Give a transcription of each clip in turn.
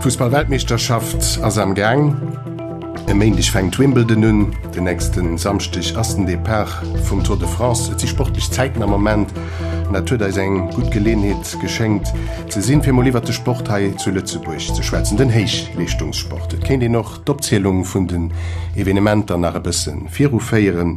D'Fussballweltmeeschterschaft ass am Gaang. E Méindeg fänkt Wimbledon un, den nächste Samschdeg ass den Depart vum Tour de France. Et si sportlech Zäiten am Moment an dat huet eis eng gutt Geleeënheet geschéngt ze sinn, fir mol iwwert de Sport hei zu Lëtzebuerg ze schwätzen, den Héichleeschtungssport. Et kéint een och d'Opzielung vun den Evenementer nach e bësse viruféieren.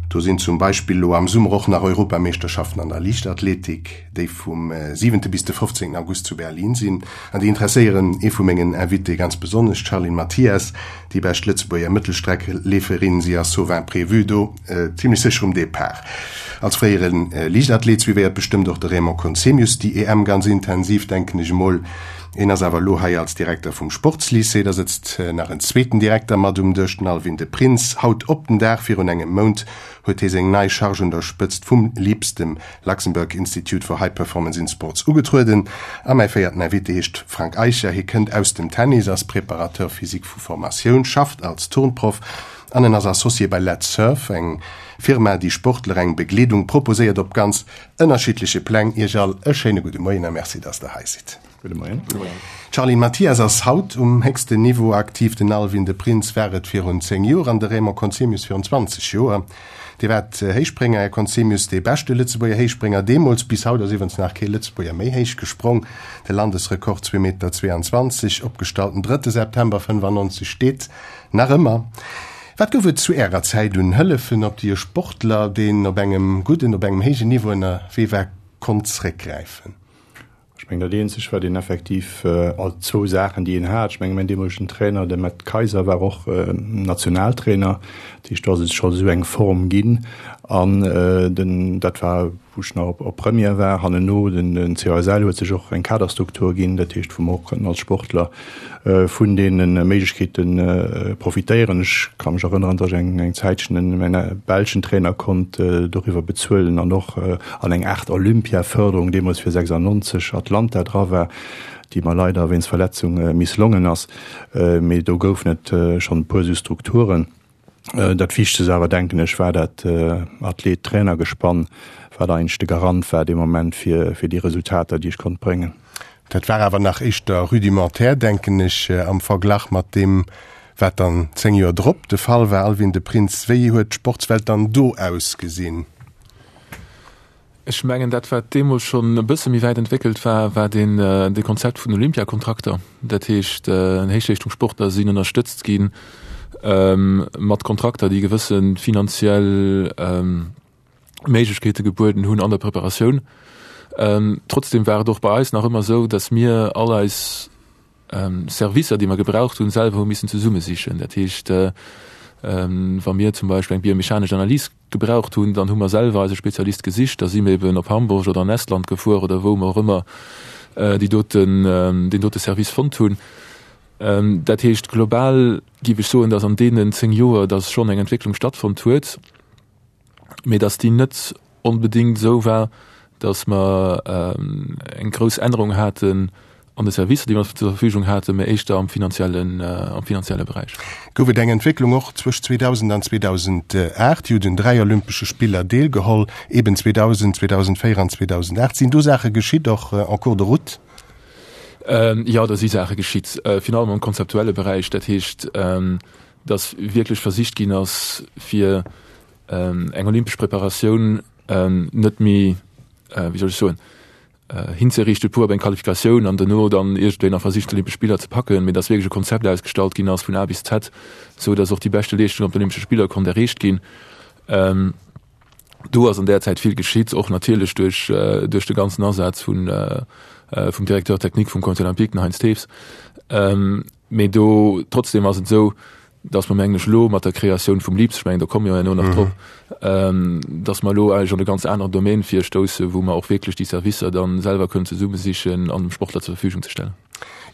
Do sinn zum Beispill elo am Summer och nach Europameeschterschaften an der Liichtathletik, déi vum siwente bis de 15 August zu Berlin sinn. An déi interesséieren ee vu mengen Invitéë ganz besonnesch, d'Charline Mathias, déi bescht Lëtzebuerger Mëttelstreckleeferin. Si ass sauf imprévu do zimlech sécher um Depart. Als fréiere Liichtathlet suivéiert bestëmmt och de Raymond Conzemius déi EM ganz intensiv, denken ech emol. Hien ass awer elo hei als Direkter vum Sportslycée. Da sëtzt nach en zweeten Direkter mat um Dësch, den Alwin de Prins. Haut op den Dag virun engem Mount huet hie seng nei Charge un der Spëtzt vum LIPS, dem Luxembourg Institute for High Performance in Sports, ugetrueden. A mäi véierten Invité heescht Frank Eicher. Hie kënnt aus dem Tennis, ass Préparateur physique vu Formatioun, schafft als Turnproff an en ass Associé bei Let's Surf, eng Firma, déi Sportler eng Begleedung proposéiert op ganz ënnerschiddleche Pläng. Iech all e schéine gudde Moien a Merci, dass der hei sidd. Gudde Moien. D'Charline Mathias ass haut um héchsten Niveau aktiv, den Alwin de Prins war et virun 10 Joer an de Raymond Conzemius virun 20 Joer. Dir waart Héichsprénger, Här Conzemius, dee beschte Lëtzebuerger Héichsprénger deemools. Bis haut ass iwwerens nach kee Lëtzebuerger méi héich gesprong. De Landesrekord, zwee Meter 22, opgestallt den drëtte September 95, steet nach ëmmer. Wat gouf et zu Ärer Zäit un Hëllefen, op déi e Sportler, deen op engem gudden, op engem héijen Niveau ënnerwee war, konnt zréckgräifen? Ech mengen, dat eenzegt, wat een effektiv, also zwou Saachen, déi een hat, ech mengen, mäin deemolegen Trainer, de Matt Kayser, war och Nationaltrainer, dat heescht, do ass et scho esou eng Form ginn. An den, dat war, wou ech nach op Première war, hannenno, den COSL huet sech och eng Kaderstruktur ginn, dat heescht, wou mer och konnten als Sportler vun deene Méiglechkeete profitéieren. Ech ka mech erënneren, datt ech eng Zäitchen en mäin belschen Trainer konnt doriwwer bezuelen an och an eng Aart Olympiaförderung deemools fir 96 Atlanta dra war, déi mer leider wéinst Verletzung misslongen ass. Mee do goufen et schonn e puer esou Strukturen. Dat Wichtegst awer, denken ech, war dat Athlet-Trainer-Gespann, wat eigentlech de Garant war dee Moment fir déi Resultater, déi ech konnt bréngen. Dat war awer nach éischter rudimentär, denken ech, am Verglach mat deem, wat dann 10 Joer drop de Fall war. Alwin de Prins, wéi huet d'Sportswelt dann do ausgesinn? Ech mengen, dat wat deemools schonn e bësse méi wäit entwéckelt war, war deen, dee Konzept vun Olympiakontrakter. Dat heescht, Héichleeschtungssportler sinn ënnerstëtzt gi mat Kontrakter, déi gewësse finanziell Méiglechkeete gebueden hunn an der Preparatioun. Trotzdem war et och bei eis nach ëmmer esou, datt mir all eis Servicer, déi mer gebraucht hunn, selwer hu missen zesummesichen. Dat heescht, wa mir zum Beispill eng biomechanesch Analys gebraucht hunn, dann hu mer selwer eise Spezialist gesicht, da si mir eben op Hamburg oder an Estland gefuer oder wou mer och ëmmer déi doten, deen dote Service fonnt hunn. Dat heescht, global géif ech soen, datt an deenen 10 Joer, datt schonn eng Entwécklung stattfonnt huet. mee datt déi net onbedéngt esou war, datt mer eng grouss Ännerung haten an de Servicer, déi mer zur Verfügung haten, mee éischter am finanziellen, am finanzielle Beräich. Gouf et eng Entwécklung och zwëscht 2000 an 2008? Dir hutt un 3 Olympesche Spiller deelgeholl, eben 2000, 2004 an 2008. Sinn do Saache geschitt, och en cours de route? Jo, do si Saache geschitt, virun allem am konzeptuelle Beräich. Dat heescht, dass wierklech versicht ginn ass, fir eng olympesch Preparatioun net méi, wéi soll ech soen, hinzeriichte pur op eng Qualifikatioun an duerno dann iergendwéi nach versicht, d'Olympesch Spiller ze packen, mee dass wierklech e Konzept ausgestallt ginn ass vun A bis Z, esou dass och déi beschte Leeschtung op den Olympesche Spiller konnt erreecht ginn. Do ass an där Zäit vill geschitt, och natierlech duerch duerch de ganzen Asaz vun vum Directeur technique vum Comité olympique, den Heinz Thews. Mee do trotzdem ass et esou, datt mer mengen ech elo mat der Kreatioun vum LIPS, ech mengen do komme mir jo herno nach drop, datt mer elo eigentlech an e ganz aneren Domaine virstoussen, wou mer och wierklech déi Servicer da selwer kënnen zesummesichen an dem Sportler zur Verfügung ze stellen.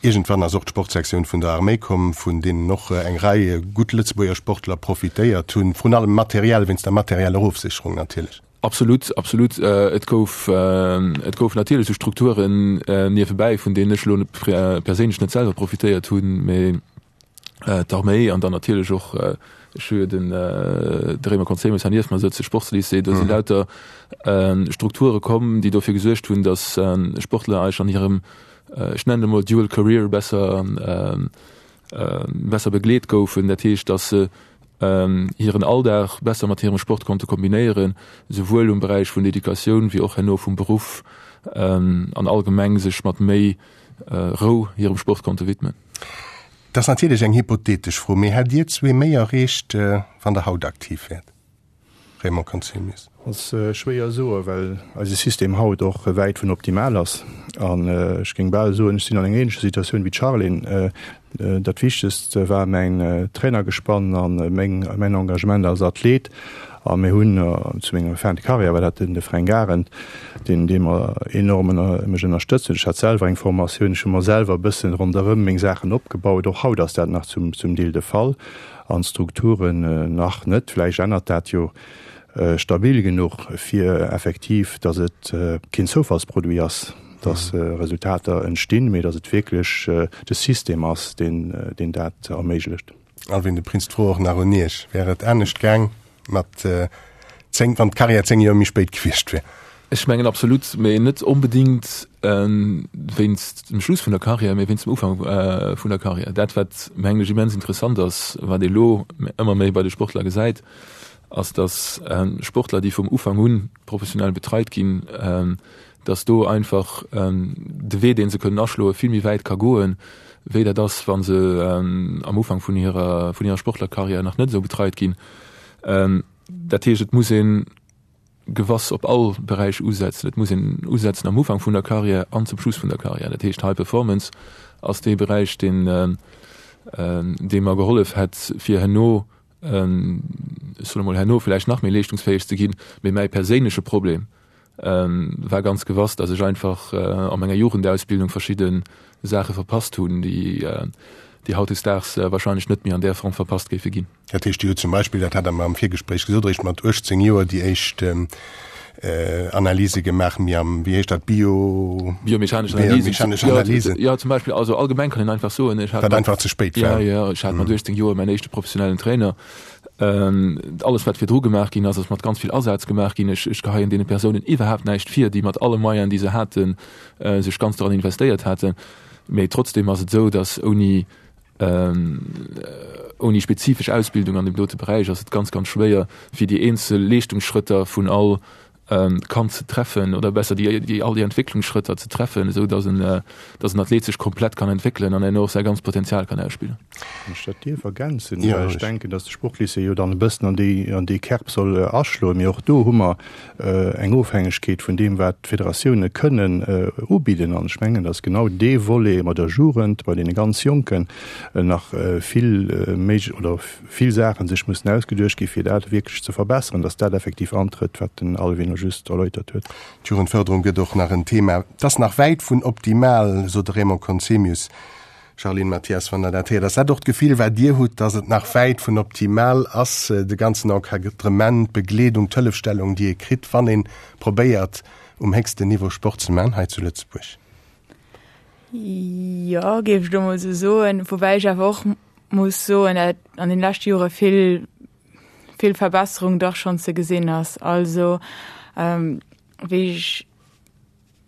Iergendwann ass och d'Sportsektioun vun der Arméi komm, vun deenen och eng Rei gutt Lëtzebuerger Sportler profitéiert hunn, vrun allem materiell, wéinst der materieller Ofsécherung natierlech. Absolut, absolut. Et gouf, et goufen natierlech esou Strukturen niewebäi, vun deenen ech elo perséinlech net selwer profitéiert hunn, mee d'Arméi an dann natierlech och. Ech hu jo den de Raymond Conzemius hei nieft mer sëtzen, Sportslycée, do si lauter Strukture komm, déi dofir gesuergt hunn, datt Sportler eis an hirem, ech nennen et emol dual career besser besser begleet goufen. Dat heescht, datt se hiren Alldag besser mat hirem Sport konnte kombinéieren, souwuel um Beräich vun der Educatioun wéi och herno vum Beruff an allgemeng sech mat méi Rou hirem Sport konnte widmen. Dat ass natierlech eng hypothetesch Fro, mee hätt Dir zwee méi erreecht, wann Der haut aktiv wäert? Raymond Conzemius. Ass schwéier soen, well eise System haut och wäit vun optimal ass. An ech géing bal soen, ech sinn an enger ähnlecher Situatioun wéi d'Charline. Dat Wichtegst war mäin Trainergespann a meng, mäin Engagement als Athlet. A mir hunn zu menger Fin de carrière war dat den de Fränk Arendt, deen, dee mer enorm ënner, mech ënnerstëtzt huet. Ech hat selwer eng Formatioun, ech hu mer selwer e bëssen ronderëm meng Saachen opgebaut. Och haut ass dat nach zum, zum Deel de Fall. An d'Strukturen nach net, vläicht ännert dat jo, stabil genuch, fir effektiv, datt et keen Zoufallsproduit ass, datt Resultater entstinn, mee datt et wierklech de System ass, deen dat erméiglecht. Alwin, de Prinz, d'Fro och nach un Iech, Wär et anescht gaang mat 10, wann d'Karriär 10 Joer méi spéit gewiescht wär? Ech mengen absolut, mee net onbedéngt wéinst dem Schluss vun der Karriär, mee wéinst dem Ufank vun der Karriär. Dat wat mengen ech immens interessant ass, wat ee lo ëmmer méi bei de Sportler gesäit, ass datt Sportler, déi vum Ufank un professionell betreit ginn, datt do einfach de Wee dee se kënnen aschloe vill méi wäit ka goen, wéi dat ass, wa se am Ufank vun hirer vun hirer Sportlerkarriär nach net esou betreit ginn. Dat heescht, et muss een gewass op all Beräich usetzen. Et muss een usetzen am Ufank vun der Karriär an zum Schluss vun der Karriär. Dat heescht, High Performance ass dee Beräich, deen, dee mer gehollef hätt, fir herno, ech soen emol herno vläicht nach méi leeschtungsfäeg ze ginn. Mee mäi perséinleche Problem war ganz gewass, datt ech einfach a menger Jugendausbildung verschidde Saache verpasst hunn, déi, déi hautdesdaags wahrscheinlech net méi an där Form verpasst géife ginn. Dat heescht, Dir hutt zum Beispill, dat hat Der mer am Virgespréich gesot, eréischt mat 18 Joer déi éischt Analyse gemaach, méi am, wéi heescht dat, Bio. Biomechanesch Analysen. Biomechanesch Analysen. Jo, zum Beispill, also allgemeng kann een einfach soen, ech hat. Wat einfach ze spéit war. Jo, jo, ech hat mat 18 Joer mäin éischte professionellen Trainer. Alles, wat virdru gemaach ginn ass, ass mat ganz vill Asaz gemaach ginn. Ech, ech geheien deene Persounen iwwerhaapt näischt vir, déi mat alle Moyenen, déi se haten, sech ganz doran investéiert haten. Mee trotzdem ass et esou, datt ouni Ouni spezifesch Ausbildung an deem dote Beräich ass et ganz, ganz schwéier, fir déi eenzel Leeschtungsschrëtter vun all Kand ze treffen oder besser déi, déi all déi Entwécklungsschrëtter ze treffen, esou datt en, datt en Athlet sech komplett kann entwéckelen an herno och säi ganzt Potenzial kann ausspillen. Wann ech dat dierf ergänzen, well ech denken, datt de Sportlycée jo dann e bëssen an déi, an déi Kerb soll aschloen, mee och do hu mer eng Ofhängegkeet vun deem, wat d'Federatioune kënnen ubidden. An ech mengen, datt genau dee Volet mat der Jugend, bei deene ganz Jonken, nach vill méi oder vill Saache sech mussen ausgeduecht gi fir dat wierklech ze verbesseren, datt dat effektiv antrëtt, wat den Alwin elo just erläutert huet. D'Jugendförderung gëtt och nach en Thema. Et ass nach wäit vun optimal, sot de Raymond Conzemius. Charline Mathias, wann Der dat héiert, ass dat och d'Gefill, wat Dir hutt, datt et nach wäit vun optimal ass, de ganzen Encadrement, d'Begleedung, d'Hëllefstellung, déi ee kritt, wann ee probéiert, um héchsten Niveau Sport ze maachen hei zu Lëtzebuerg? Jo, géif ech elo mol esou soen. Woubäi ech awer och muss soen, datt an den leschte Jore vill, vill Verbesserung dach schonn ze gesinn ass. Also wéi ech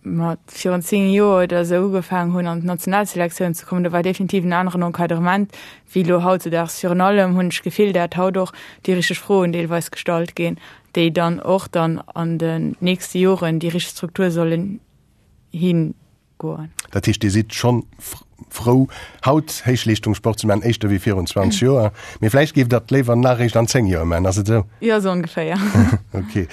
mat virun 10 Joer oder esou ugefaangen hunn an d'Nationalselektioun ze kommen, do war definitiv en aneren Encadrement wéi elo hautzedaags. Virun allem hunn ech d'Gefill, dat haut och déi richteg Froen deelweis gestallt ginn, déi dann och dann an den nächste Joren déi richteg Struktur sollen higoen. Dat heescht, Dir sidd schonn frou haut Héichleeschtungssport ze maachen, éischter wéi virun 20 Joer, mee vläicht géift Der et léiwer nach eréischt an 10 Joer maachen, ass et esou? Jo, esou ongeféier. Ok.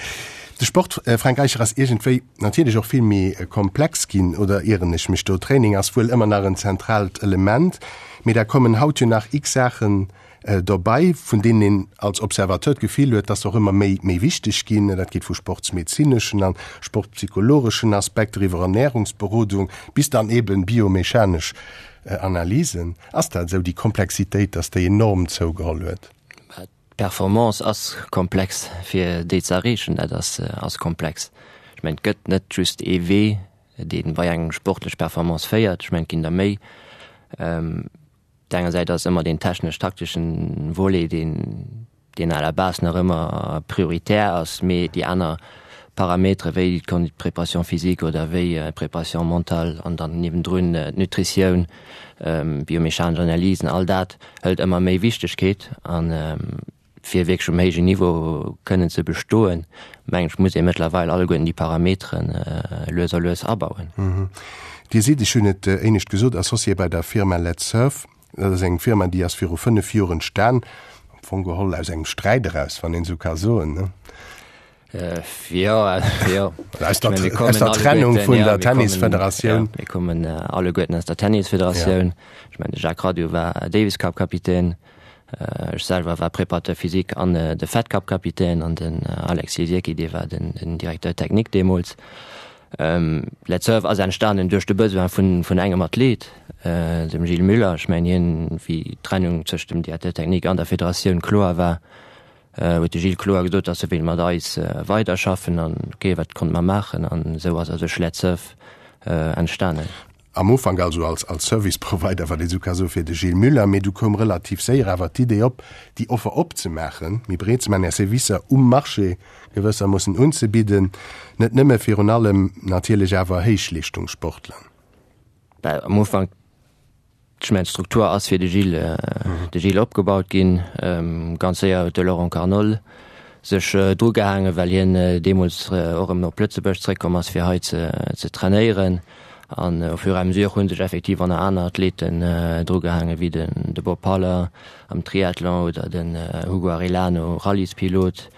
De Sport, Fränk Eicher, ass iergendwéi natierlech och vill méi komplex ginn, oder ieren ech mech do? Training ass wuel ëmmer nach en zentraalt Element, mee da kommen haut jo nach x Saachen dobei, vun deenen een als Observateur d'Gefill huet, dass se och ëmmer méi méi wichteg ginn. Dat geet vu sportsmedezineschen an sportpsychologeschen Aspekter iwwer Ernährungsberodung bis dann eben biomechanesch Analysen. Ass dat esou, déi Komplexitéit, dass déi enorm zougeholl huet? D'Performance ass komplex, fir déi ze erreechen, dat ass ass komplex. Ech mengen, et gëtt net just ee Wee, dee bei eng sportlech Performance féiert. Ech mengen, et ginn der méi. Op der enger Säit ass ëmmer deen technesch-takteschen Volet, deen. deen à la base nach ëmmer prioritär ass, mee déi aner Parametere wéi d'Préparation physique oder wéi d'Préparation mentale an dann niewendrun d'Nutritioun, biomechanesch Analysen, all dat hëlt ëmmer méi Wichtegkeet. An fir wierklech um héijen Niveau kënnen ze bestoen, mengen ech, muss ee mëttlerweil alleguerten déi Parameteren lues a lues abauen. Dir sidd, ech hunn et éinescht gesot, Associé bei der Firma Let's Surf. Dat ass eng Firma, déi ass viru 5 Joer entstan, am Fong geholl aus engem Sträit eraus, wann een esou ka soen, ne? Jo, jo. Aus der, aus der Trennung vun der Tennisfederatioun. Mir kommen alleguerten aus der Tennisfederatioun. Ech mengen, de Jacques Radiou war Davis Cup Kapitän, ech selwer war Préparateur physique an de Fed Cup Kapitän an den Alex Lisiecki, dee war den Directeur technique deemools. Let's Surf ass entstanen duerch de Besoin vun engem Athlet, dem Gilles Müller. Ech mengen hien, wéi d'Trennung tëscht dem Directeur technique an der Federatioun kloer war, huet de Gilles kloer gesot, datt e wéilt mat eis weiderschaffen an ok, wat konnte mer maachen? An esou ass a sech Let's Surf entstanen. Am Ufank also als als Service Provider, wat ee sou ka soe fir de Gilles Muller, mee du koum relativ séier awer d'Idee op, déi Offer opzemaachen, méi breet ze maachen, Är Servicer um Marché gewëssermoossen unzebidden, net nëmme virun allem natierlech awer Héichleeschtungssportler. Well am Ufank, ech mengen d'Struktur ass fir de Gilles, de Gilles opgebaut ginn. Ganz séier huet de Laurent Carnol sech drugehaangen, well hien deemools och erëm op Lëtzebuerg zréckkomm ass, fir hei ze ze trainéieren. An au fur et à mesure hu sech effektiv och nach aner Athleten drugehaangen, wéi den de Bob Haller am Triathlon oder den Hugo Arellano, Rallyespilot.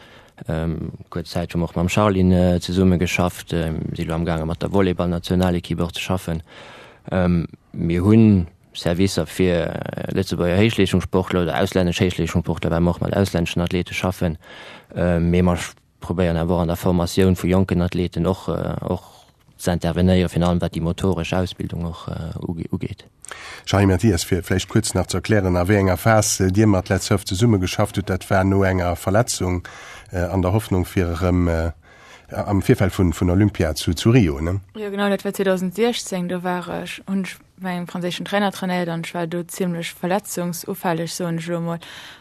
Kuerz Zäit hu mer och mam Charline zesumme geschafft, si elo amgaange mat der Volleyballnationalekipp och ze schaffen. Mir hunn Servicer fir Lëtzebuerger Héichleeschtungssportler oder auslännesch Héichleeschtungssportler, well mer och mat auslänneschen Athlete schaffen. Mee mer probéieren awer och an der Formatioun vu jonken Athleten och och ze intervenéieren, virun allem wat déi motoresch Ausbildung och ugeet. Jean-Yves Mathias, fir vläicht kuerz nach ze erklären, a wéi enger Phas Dir mat Let's Surf zesummegeschafft hutt, dat war no enger Verletzung an der Hoffnung fir erëm am Virfeld vun vun Olympia zu zu Rio, ne? Jo genau, dat war 2016, do war ech, hunn ech bei engem franséischen Trainer trainéiert an ech war do zimmlech verletzungsufälleg, soen ech elo emol,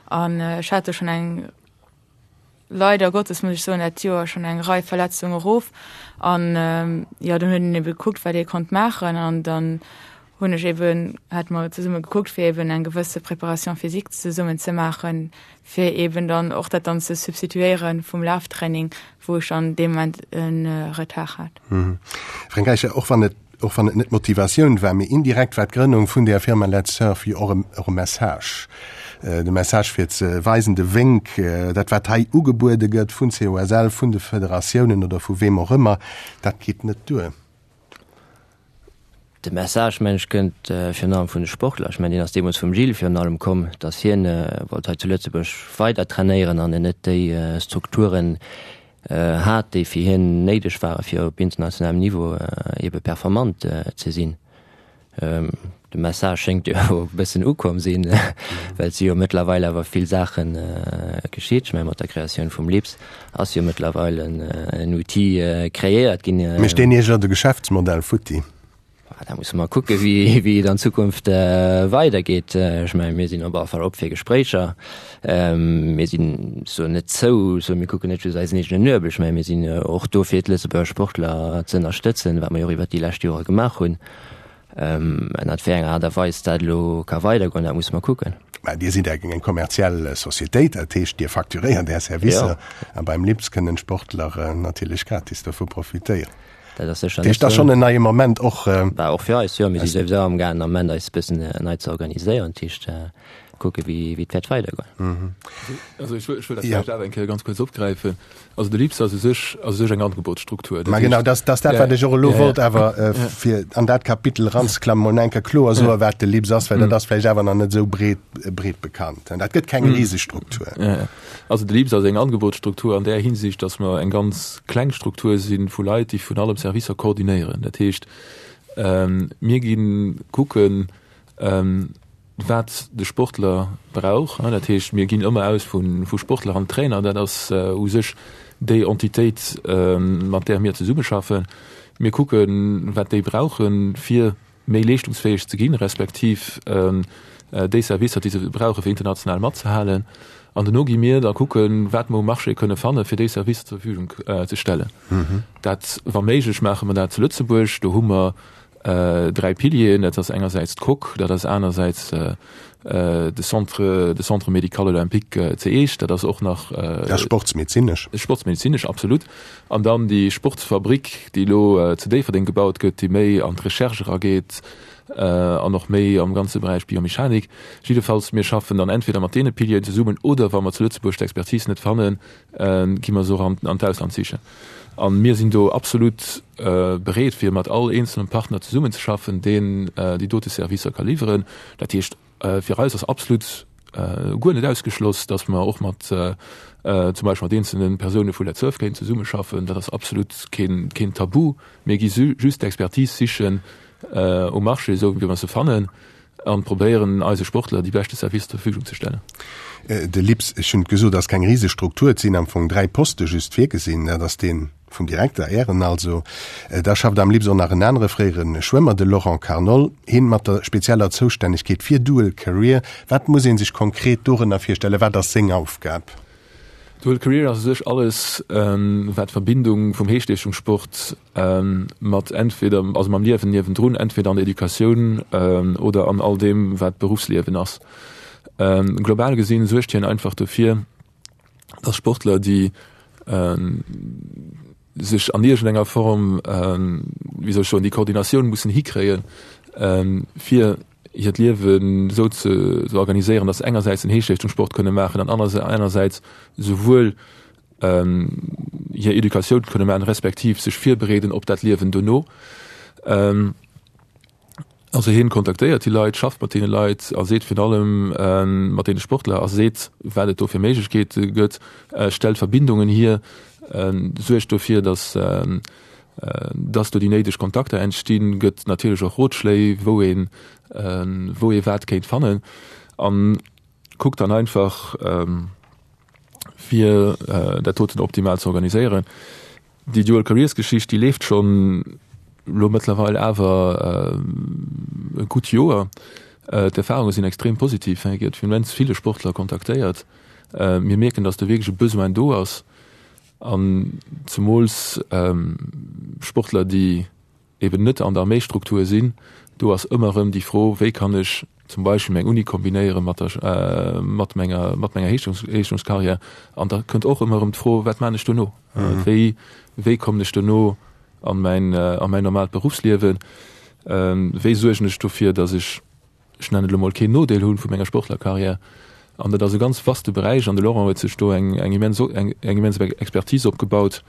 an ech hat do schonn eng, leider Gottes muss ech soen, dat Joer schonn eng Rei Verletzunge erof an jo, dann huet een ebe gekuckt, wat ee konnt maachen an dann hunn ech eben, hate mer zesumme gekuckt, fir eben eng gewësse Préparation physique zesummen ze maachen, fir eben dann och dat dann ze substituéiere vum Laftraining, wou ech dann dee Moment e Retard hat. Fränk Eicher, och wann et, och wann et net d'Motivatioun war, mee indirekt war d'Grënnung vun där Firma Let's Surf jo och e, och e Message. De Message fir ze weisen, de Wénk, dat wat hei ugebuede gëtt vun COSL, vun de Federatiounen oder vu weem och ëmmer, dat geet net duer. De Message, mengen ech, kënnt virun allem vun de Sportler. Ech mengen, deen ass deemools vum Gilles virun allem komm, datt hien wollt hei zu Lëtzebuerg weider trainéieren an en net déi Strukturen hat, déi fir hien néideg ware fir op internationalem Niveau ebe performant ze sinn. De Message schéngt jo e bëssen ukomm sinn, well et si jo mëttlerweil awer vill Saache geschitt. Ech menge mat der Kreatioun vum LIPS ass jo mëttlerweil en Outil kreéiert ginn. Mécht deen Iech elo de Geschäftsmodell futti? Da musse mer kucke wéi et an Zukunft weidergeet. Ech menge mir sinn op alle Fall op fir Gespréicher. Mir sinn so net zou, so mir kucken net just eisen eegenen Nuebel. Ech menge mir sinn och do fir d'Lëtzebuerger Sportler ze ënnerstëtzen, wat mer jo och iwwert déi lescht Jore gemaach hunn. Ënnert wéi enger Aart a Weis dat elo ka weidergoen, dat musse mer kucken. Mä Dir sidd eng kommerziell Societéit, dat heescht Dir facturéiert Är Servicer a beim LIPS kënnen d'Sportler natierlech gratis dovu profitéieren. Dat ass sécher net esou. Dat ass schonn en neie Moment och. Bah, och fir eis, jo. Mir si souwisou amgaangen am Ament eis e bëssen nei ze organiséieren, dat heescht kucke wéi et wäert weidergoen. Also ech wëll dat vläicht awer eng Kéier ganz kuerz opgräifen. Also de LIPS ass u sech, ass u sech eng Angebotsstruktur. Ma genau, dat ass dat, wat ech och elo wollt awer fir an dat Kapitel eranzeklammen, mol eng Kéier kloer soen, wat de LIPS ass, well dat ass vläicht awer nach net esou breet, breet bekannt. Dat gëtt keng riseg Struktur. Also de LIPS ass eng Angebotsstruktur an där Hinsicht, datt mer eng ganz kleng Struktur si vu Leit, déi vun allem Servicer koordinéieren. Dat heescht, mir gi kucken, wat de Sportler brauch. Dat heescht, mir ginn ëmmer aus vu Sportler an Trainer. Dat ass u sech déi Entitéit, mat där mir zesummeschaffen. Mir kucken, wat déi brauchen, fir méi leeschtungsfäeg ze ginn, respektiv. déi Servicer, déi se brauche fir international matzehalen. An dono gi mir da kucken, wat mer um Marché kënne fanne fir déi Servicer zur Verfügung ze stellen. Dat, wa méiglech, maache mer dat zu Lëtzebuerg. Do hu mer 3 Pilieren, dat ass engersäits d'Coque, dat ass anersäits de Centre, de Centre médical olympique zu Eech, dat ass och nach. Dat ass sportsmedezinesch. Sportsmedezinesch, absolut. An dann déi Sportsfabrik, déi elo zu Déifferdeng gebaut gëtt, déi méi an d'Recherche erageet an och méi am ganze Beräich Biomechanik. Jiddefalls, mir schaffen dann entweder mat deene Pilieren zesummen oder wa mer zu Lëtzebuerg d'Expertise net fannen, gi mer se och an d'Ausland sichen. A mir sinn do absolut bereet, fir mat all eenzelnem Partner zesummenzeschaffen, deen déi dote Servicer ka liwweren. Dat heescht, fir eis ass absolut guer net ausgeschloss, datt mer och mat zum Beispill mat eenzelne Persoune vu LetzSurf kéinten zesummeschaffen. Dat ass absolut keen Tabu. Mir gi just d'Expertise sichen um Marché, esou wéi mer se fannen. An probéieren eise Sportler déi beschte Servicer zur Verfügung ze stellen. De LIPS, ech hunn et gesot, ass keng Risestruktur. Et sinn am Fong 3 Poste just virgesinn. Dat ass dee vum Direkter, Ären also. Da schafft am LIPS och nach en anere fréiere Schwëmmer, de Laurent Carnol, hien mat der spezieller Zoustännegkeet fir Dual Career. Wat muss ee sech konkret dorënner virstellen? Wat ass seng Aufgab? Dual Career ass u sech alles, wat d'Verbindung vum Héichleeschtungssport mat entweder, also mam Liewen niewendrun, entweder an der Educatioun oder an all deem, wat Beruffsliewen ass. Global gesinn suergt hien einfach dofir, dass Sportler, déi sech an iergendenger Form, wéi soll ech soen, déi Koordinatioun mussen hikréien, fir hiert Liewen esou ze organiséieren, dass se engersäits den Héichleeschtungssport kënne maachen an anersäits souwuel hir Educatioun kënne maachen, respektiv sech virbereeden op dat Liewen dono. Also hien kontaktéiert déi Leit, schafft mat deene Leit a seet virun allem mat deene Sportler a seet, wat et do fir Méiglechkeete gëtt, stellt Verbindungen hier, suergt dofir, dass dass do déi néideg Kontakter entstinn, gëtt natierlech och Rotschléi, wou een, wou ee wat kéint fannen an kuckt dann einfach, fir dat doten optimal ze organiséieren. Déi Dual Careers Geschicht, déi leeft schonn elo mëttlerweil awer e gutt Joer. D'Erfarunge sinn extrem positiv, et gëtt vun immens ville Sportler kontaktéiert. Mir mierken, dass do wierklech e Besoin do ass an zemools Sportler, déi eben net an der Arméistruktur sinn, do ass ëmmer erëm déi Fro, wéi kann ech zum Beispill meng Uni kombinéiere mat der, mat menger, mat menger Héichleeschtungskarriär. An da kënnt och ëmmer erëm d'Fro, wat maan ech dono? Wéi, wéi kommen ech dono an mäin, a mäin normaalt Beruffsliewen? Wéi suergen ech dofir, datt ech ech nennen et elo mol, keen Nodeel hunn vu menger Sportlerkarriär. An dat ass e ganz vaste Beräich an de Laurent huet sech do eng eng immens eng eng immens Expertise opgebaut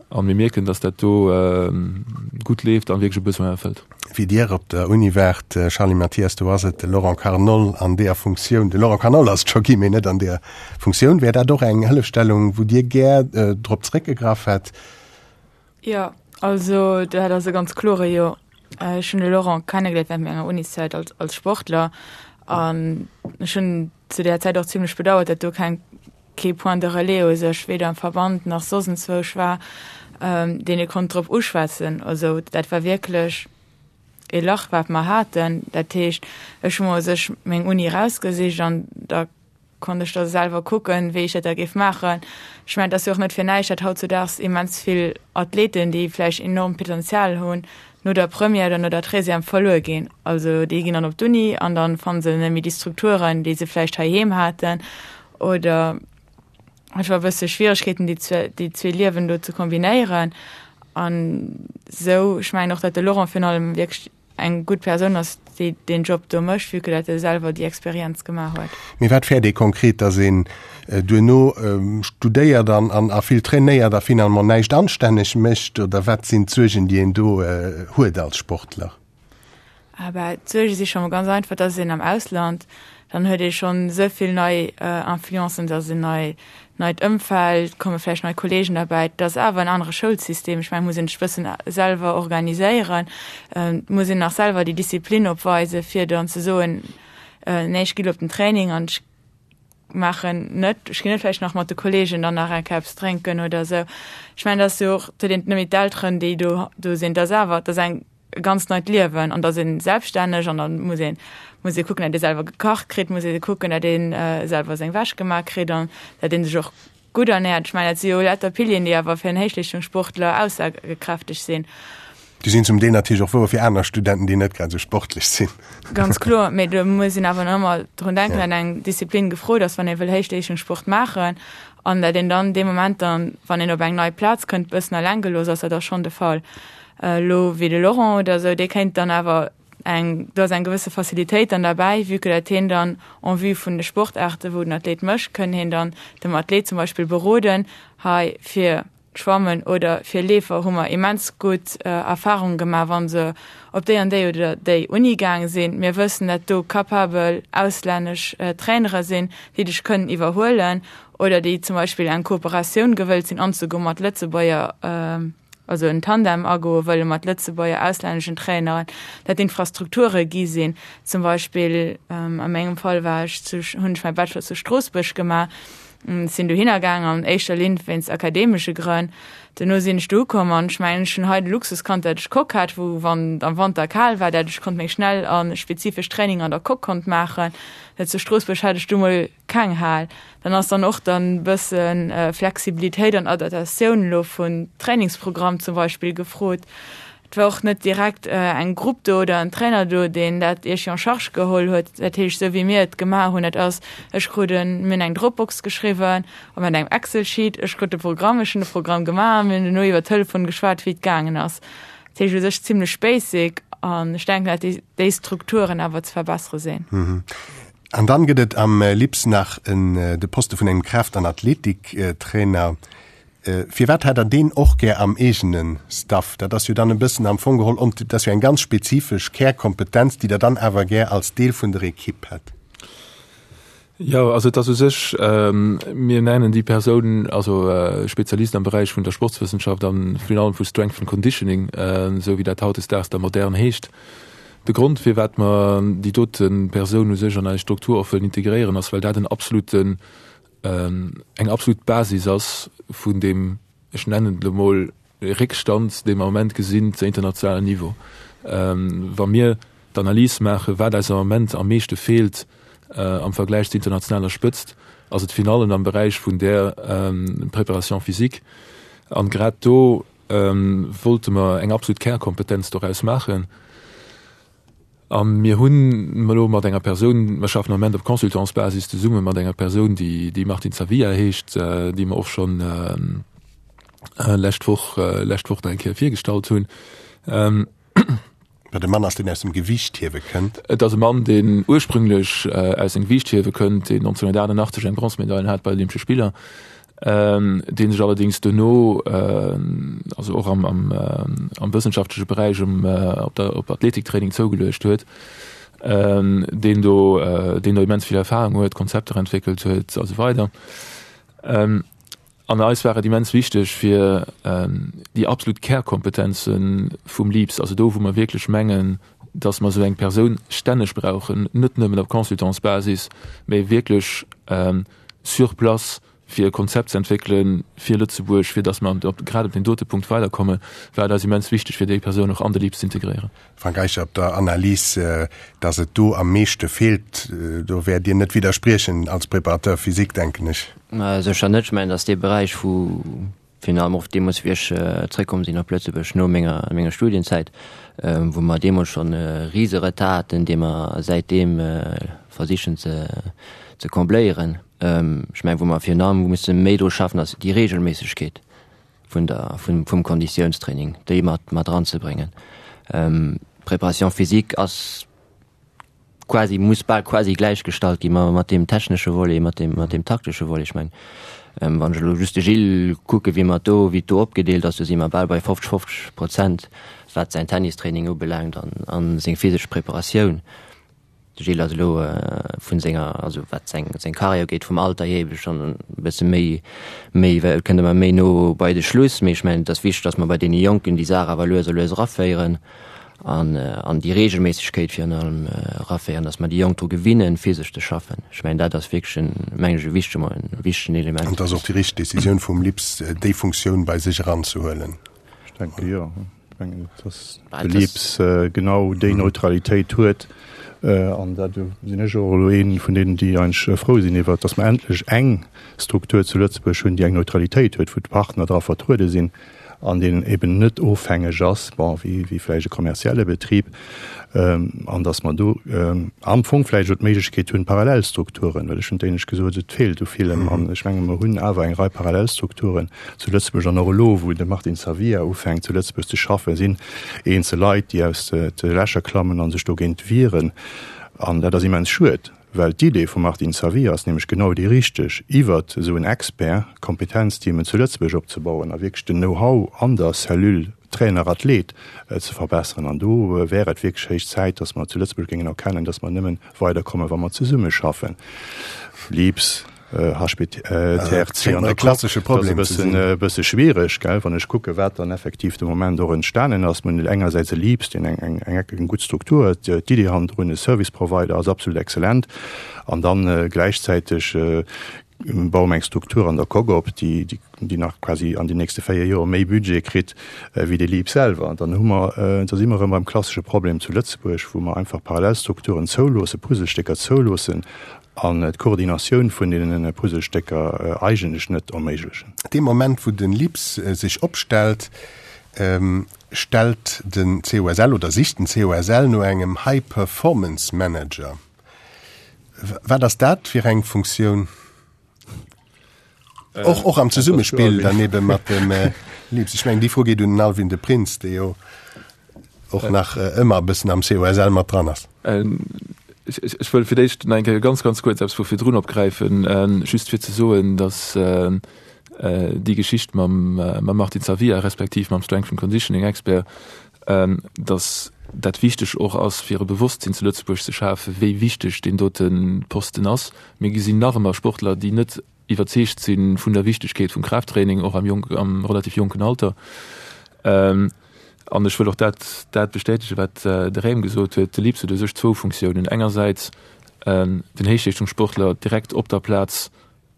an mir mierken, datt dat do gutt leeft an wierklech e Besoin erfëllt. Wéi Dir op der Uni waart, Charly Mathias, do ass et de Laurent Carnol an deeër Funktioun, de Laurent Carnol ass et scho gi, mee net an deeër Funktioun. Wär dat och eng Hëllefstellung, wou Dir gär drop zréckgegraff hätt? Jo, also dat ass e ganz klore Jo. Ech hunn de Laurent kennegeléiert während menger Uniszäit als, als Sportler an ech hunn zu där Zäit och zimmlech bedauert, datt do keng, kee Point de relais u sech, weder am Verband nach soss enzwousch war, deen ee konnt drop uschwätzen. Also dat war wierklech ee Lach, wat mer haten. Dat heescht, ech hu mer u sech meng Uni erausgesicht an da konnt ech da selwer kucken, wéi ech dat da géif maachen. Ech mengen, et ass jo och net fir näischt, datt hautzudaags immens vill Athleten, déi vläicht enormt Potenzial hunn, no der Première oder no der Treizième verluer ginn. Also déi ginn dann op d'Uni an dann fanne se net méi déi Strukturen, déi se vläicht heiheem haten oder einfach e bësse Schwieregkeeten, déi zwee, déi zwee Liewen do ze kombinéieren. An esou, ech mengen och, datt de Laurent virun allem wierklech eng gutt Persoun ass, déi deen Job do mécht, vue que dat e selwer déi Experienz gemaach huet. Mee wat fäert ee konkret, dass een duerno studéiert an an a vill trainéiert a finalement näischt anstänneg mécht? Oder wat sinn d'Suergen, déi een do huet als Sportler? Ah bah, d'Suerge si scho mol ganz einfach, dass een am Ausland, dann huet ee schonn esou vill nei Influencen, dass een nei neit Ëmfeld, komme vläicht nei Kollegen derbäi. Et ass awer en anere Schoulsystem. Ech mengen, et muss een sech e bëssen selwer organiséieren. Et muss een nach selwer déi Disziplin opweisen, fir dann ze soen, nee, ech gi lo op den Training an ech maachen net, ech ginn net vläicht nach mat de Kollegen dann nach eng Kéier eppes drénken oder esou. Ech mengen, et ass jo och, et huet een net méi d'Elteren, déi do do sinn. Et ass awer, et ass eng. e ganz neit Liewen an da ass een selbststänneg an dann muss een muss ee kucken, dat ee selwer gekacht kritt, muss ee kucken, dat een selwer seng Wäsch gemaach kritt an dat een sech och gutt ernährt. Ech mengen, dat si jo lauter Pilieren, déi awer fir en Héichleeschtungssportler aussagekräfteg sinn. Déi sinn zum Deel natierlech och wouer fir aner Studenten, déi net grad esou sportlech sinn. Ganz kloer, mee do muss een awer nach ëmmer drun denken, dat eng Disziplin gefrot ass, wann ee wëll Héichleeschtungssport maachen an dat een dann dee Moment dann, wann een op eng nei Plaz kënnt, bëssen eleng gelooss ass. Dat ass schonn de Fall. Elo wéi de Laurent oder esou, dee kéint dann awer eng, do ass eng gewësse Facilitéit dann derbäi, vue que dat heen dann en vue vun de Sportaarte wou den Athlet mécht, kënn heen dann dem Athlet zum Beispill beroden, hei fir Schwammen oder fir Leefer hu mer immens gutt Erfahrungen gemaach, wa se op déi an déi oder déi Uni gaang sinn. Mir wëssen, dat do capabel auslännesch Trainere sinn, déi dech kënnen iwwerhuelen oder déi zum Beispill eng Kooperatioun gewëllt sinn anzegoen mat Lëtzebuerger, also en Tandem agoe wëlle mat Lëtzebuerger auslänneschen Traineren, dat Infrastrukture gi sinn. Zum Beispill a mengem Fall war ech zu, hunn ech mäi Bachelor zu Stroossbuerg gemaach. Sinn dohinner gaang an éischter Linn wéinst akademesche Grënn. Duerno sinn ech do ukomm an ech mengen ech hunn hei de Luxus kannt, dat ech Coque hat, wou wann et am Wanter kal war, dat ech konnt meng schnell a spezifesch Training an der Coque konnt maachen. Zu Stroossbuerg hat ech du mol keng Hal. Dann ass dann och dann bësse Flexibilitéit an Adaptatioun elo vun Trainingsprogramm zum Beispill gefrot. Et war och net direkt eng Grupp do oder en Trainer do, deen dat iergwéi en charge geholl huet. Dat heescht, esou wéi mir et gemaach hunn, dat ass, ech krut en, mir hunn eng Dropbox geschriwwen a mat engem Excel-Sheet, ech krut de Programm, ech hunn de Programm gemaach a mir hunn duerno iwwer Telefon geschwat, wéi et gaangen ass. Dat heescht u sech zimlech basic an ech denken, dat déi Strukturen awer ze verbessere sinn. An dann gëtt et am LIPS nach en de Poste vun engem Kraaft an Athletiktrainer. Firwat hätt Der deen och gär am eegene Staff? Dat ass jo dann e bëssen am Fong geholl, dat ass jo eng ganz spezifesch Kärkompetenz, déi Der dann awer gär als Deel vun der Ekipp hätt. Jo, also et ass u sech, mir nennen déi Persoun also Spezialist am Beräich vun der Sportswëssenschaft a virun allem vu Strength and Conditioning, esou wéi dat hautdesdaags da modern heescht. De Grond, firwat mer déi dote Persoun u sech an eis Struktur och wëllen integréieren, ass, well dat en absoluten eng absolut Basis ass vun deem, ech nennen et elo mol, Réckstand, dee mer am Moment gesinn zu internationalem Niveau. Wa mir d'Analys maachen, wat eis am Moment am meeschte feelt am Vergläich zur internationaler Spëtzt, ass et virun allem am Beräich vun där Préparation physique. An grad do wollte mer eng absolut Kärkompetenz doraus maachen. A mir hunn elo mat enger Persoun, mer schaffen am Moment op Consultantsbasis zesumme mat enger Persoun, déi déi Martine Zavia heescht, déi mer och schonn lescht Woch, lescht Woch nach eng Kéier virgestallt hunn. Wat e Mann ass, deen aus dem Gewiichthiewe kënnt. Et ass e Mann, deen ursprünglech aus dem Gewiichthiewe kënnt, deen 1988 eng Bronzemedail hat bei de Olympesche Spiller. dee sech allerdéngs duerno, also och am, am, am wëssenschaftleche Beräich um, op der, op Athletiktraining zougeluecht huet, deen do, deen do immens vill Erfahrung huet, Konzepter entwéckelt huet a sou weider. An eis war et immens wichteg, fir déi absolut Kärkompetenze vum LIPS, also do wou mer wierklech mengen, datt mer esou eng Persoun stänneg brauchen, net nëmmen op Consultantsbasis, mä wierklech sur place, fir e Konzept ze entwéckele fir Lëtzebuerg, fir datt mer op, grad op deem dote Punkt weiderkommen, war et eis immens wichteg, fir déi Persoun och an de LIPS ze integréieren. Frank Eicher, Op der Analys, datt et do am meeschte feelt, do wäert Dir net widderspriechen als Préparateur physique, denken ech. Sécher net. Ech mengen, datt dee Beräich, wou Virun allem och deemools, wéi ech zréckkomm sinn op Lëtzebuerg no menger, menger Studienzäit, wou mer deemools schonn e rise Retard haten, dee mer säitdeem versichen ze, ze combléieren. Ech mengen, wou mer virun allem musse méi dru schaffen, ass déi Regelméissegkeet vun der, vum, vum Konditiounstraining, déi mat, mat eranzebréngen. D'Préparation physique ass quasi, muss bal quasi gläichgestallt gi mat deem technesche Volet, mat deem, mat deem taktesche Volet. Ech mengen, wann ech elo just de Gilles kucke wéi mer do, wéi et do opgedeelt ass, do si mer bal bei 50, 50 Prozent, wat säin Tennistraining ubelaangt an, an seng physesch Preparatioun. De Gilles ass elo vun senger, also wat seng, seng Karriär ugeet, vum Alter hier ebe schonn e bësse méi, méi, kënnt ëmmer méi no bei de Schluss. Mee ech mengen, et ass wichteg, datt mer bei deene Jonken déi Saach awer lues a lues eraféieren. an an déi Regelméissegkeet virun allem eraféieren, dass mer déi Jonk dru gewinnen, physesch ze schaffen. Ech mengen, dat ass wierklech en, mengen ech, e wichtege, e wichtegen Element. An et ass och déi richteg Decisioun vum LIPS, déi Funktioun bei sech eranzehuelen. Ech denke jo. Mengen, dass de LIPS genau déi Neutralitéit huet. An dat sinn ech och elo ee vun deenen, déi eigentlech frou sinn iwwert, dass mer endlech eng Struktur zu Lëtzebuerg hunn, déi eng Neutralitéit huet, wou d'Partner dra vertruede sinn an deen eben net ofhängeg ass, bon, wéi vläicht e kommerzielle Betrib, an dass mer do am Fong vläicht elo d'Méiglechkeet hunn, Parallelstrukturen, well ech hunn d'éinescht gesot, et feelt u villem, an ech menge mer hunn awer eng Rei Parallelstrukturen zu Lëtzebuerg an och elo, wou de Martin Savia ufänkt zu Lëtzebuerg ze schaffen, sinn eenzel Leit, déi aus de Lächer klammen a sech dogéint wieren. An dat ass immens schued, well d'Idee vum Martin Savia ass nämlech genau déi richteg, iwwert esou en Expert Kompetenzteamen zu Lëtzebuerg opzebauen a wierklech den Know-how an der Cellule Trainer-Athlet ze verbesseren. An do wär et wierklech héich Zäit, dass mer zu Lëtzebuerg géingen erkennen, dass mer nëmmen weiderkommen, wa mer zesummeschaffen. Lips. HPTRC an der klassesche Problem e bëssen, e bësse schwiereg, gell, wann ech kucke wat dann effektiv de Moment och entstanen ass. Mir hunn engersäits e Lips, deen eng, eng, eng, eng gutt Struktur huet, d'Iddi hannendrun, e Service Provider ass absolut exzellent, an dann gläichzäiteg baue mer eng Struktur an der Coque op, déi, déi, déi nach quasi an den nächste 4 Joer méi Budget kritt wéi de LEAP selwer. Dann hu mer, da si mer erëm beim klassesche Problem zu Lëtzebuerg, wou mer einfach Parallelstrukturen zouloossen, Puzzlestécker zouloossen an d'Koordinatioun vun deenen Puzzlestécker eigentlech net erméiglechen. Dee Moment, wou de LIPS sech opstellt, stellt den COSL oder sicht den COSL no engem High Performance Manager. Wat ass dat fir eng Funktioun? Och, och am Zesummespill dann ebe mat dem LIPS. Ech mengen, déi Fro geet un den Alwin de Prins, dee jo och nach ëmmer e bëssen am COSL mat dran ass. Ech, ech wëll fir d'éischt nach eng Kéier ganz, ganz kuerz eppes vu virdrun opgräifen, just fir ze soen, datt déi Geschicht mam, mam Martin Zavia respektiv mam Strength and Conditioning Expert, datt dat wichteg och ass, fir e Bewosstsinn zu Lëtzebuerg ze schafen, wéi wichteg deen dote Posten ass. Mir gesinn nach ëmmer Sportler, déi net iwwerzeegt si vun der Wichtegkeet vum Kraafttraining, och am jonk, am relativ jonken Alter. An ech wëll och dat, dat bestätegen, wat de Raym gesot huet, De LIPS huet u sech zwou Funktiounen, engersäits den Héichleeschtungssportler direkt op der Plaz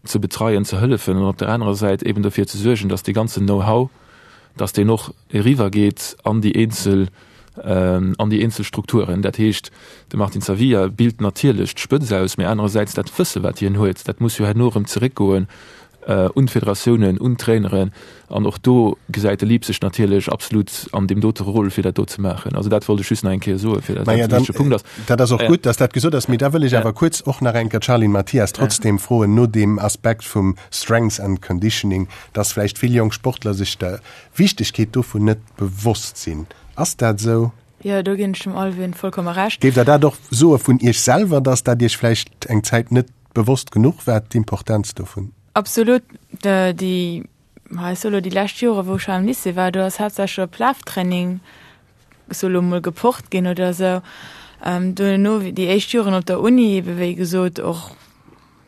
ze betreien, ze hëllefen an op der anerer Säit eben dofir ze suergen, dass dee ganzen Know-how, dass deen och eriwwer geet an déi eenzel, an déi eenzel Strukturen. Dat heescht, de Martin Zavia bilt natierlech d'Spëtz aus, mee anerersäits dat Wësse wat hien huet, dat muss jo herno erëm zeréckgoen un d'Federatiounen, un d'Traineren an och do gesäit de Lieb sech natierlech absolut an deem dote Rôle fir dat do ze maachen. Also dat wollt ech just nach eng Kéier soen, fir dat e wichtege Punkt ass. Dat ass och gutt, dass dat gesot ass, mee da wëll ech awer kuerz och nach eng Kéier d'Charline Mathias trotzdem froen no deem Aspekt vum Strength and Conditioning, dass vläicht vill jonk Sportler sech der Wichtegkeet dovun net bewosst sinn. Ass dat esou? Jo, do ginn ech dem Alwin vollkomme Recht. Géift Der dat och soe vun Iech selwer, dass dat Iech vläicht eng Zäit net bewosst genuch war, d'Importenz dovun? Absolut. Déi, ech soe lo déi lescht Jore wou ech am Lycée war, do ass haaptsächlech op Laftraining, ech soe lo mol, gepocht ginn oder esou. Duerno, déi éischt Joren op der Uni, ebe wéi gesot och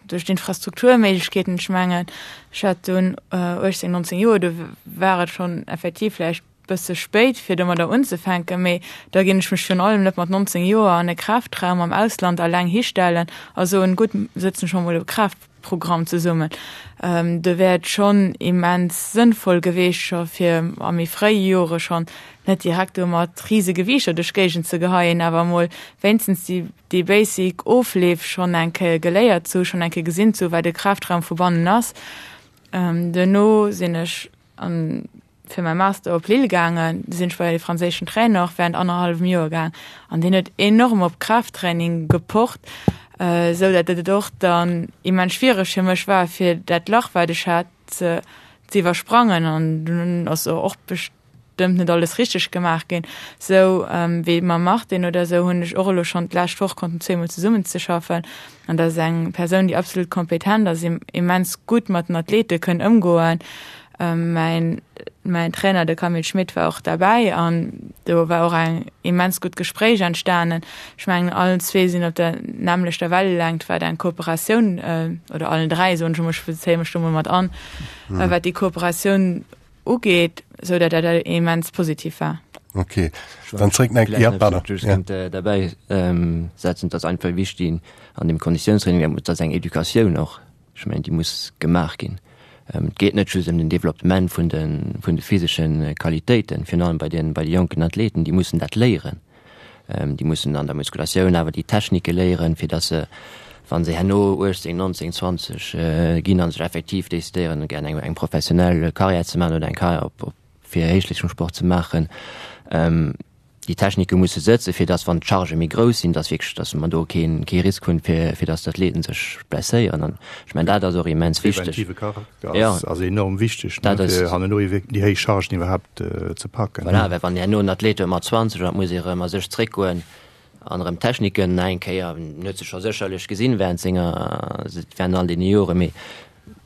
duerch d'Infrastrukturméiglechkeeten, ech mengen, ech hat dunn 18, 19 Joer, do war et schonn effektiv vläicht bësse spéit fir domadder unzefänken, mee da ginn ech mech virun allem net mat 19 Joer an e Kraftraum am Ausland alleng histellen a soen, gutt, sëtzen ech mer mol e Kraaftprogramm zesummen. Do wär et schonn immens sënnvoll geweecht, scho fir a méi fréie Jore schonn net direkt do mat rise Gewiichter duerch d'Géigend ze geheien, awer emol wéinstens déi déi basic Ofleef schonn eng Kéier geléiert ze hu, schonn eng Kéier gesinn ze hu wat e Kraftraum vu bannen ass. Duerno sinn ech an fir mäi Master op Lille gaangen, du sinn ech bei e franséischen Trainer och während annerhallwem Joer gaang an deen huet enorm op Kraafttraining gepocht, esou dat et och dann immens schwiereg fir mech war fir dat Lach wat ech hat ze ze iwwersprangen an dunn ass och bestëmmt net alles richteg gemaach ginn. Sou wéi mam Martin oder sou hunn ech och elo schonn d'lescht Woch konnten zweemol zesummen ze schaffen an dat ass eng Persoun déi absolut kompetent ass, immens gutt mat den Athlete kënn ëmgoen Mäin, mäin Trainer, de Camille Schmit, war och derbäi an do war och eng immens gutt Gespréich entstanen. Ech mengen, allen zwee sinn op der nämmlechter Wellelängt, wat eng Kooperatioun, oder allen dräi, soen ech emol, ech bezéie mech do emol mat an, wat déi Kooperatioun ugeet, esou datt dat immens positiv war. Okay, dann zréck nach, ja, pardon. Just ja. Derbäi setzen, dass einfach wichtig an dem Konditiounstraining, dat ass eng Educatioun och. Ech mengen, déi muss gemaach ginn. Et geet net just ëm den Developpement vun de, vun de physesche Qualitéiten, virun allem bei den, bei de jonken Athleten, déi mussen dat léieren. Déi mussen an der Muskulatioun awer déi Technike léieren, fir datt se, wa se herno 18, 19, 20 ginn a sech effektiv decidéieren, gär eng, eng professionell Karriär ze maachen oder eng Karriär op, op fir Héichleeschtungssport ze maachen, déi Technike musse sëtzen, fir datt, wann d'Chargë méi grouss sinn, datt wierklech, datt mer do kee, kee Risk hunn, fir, fir datt d'Athleten sech blesséieren. An ech mengen, dat ass och immens wichteg. Preventive Charakter ass, ass enorm wichteg, ne, fir herno déi héich Chargen iwwerhaapt ze packen. Voilà, well wann herno en Athlet huet mat 20 an et muss ee erëm a sech zréckgoen an erëm d'Techniken nach eng Kéier, en huet se scho sécherlech gesinn während senger, während all deene Joren, mee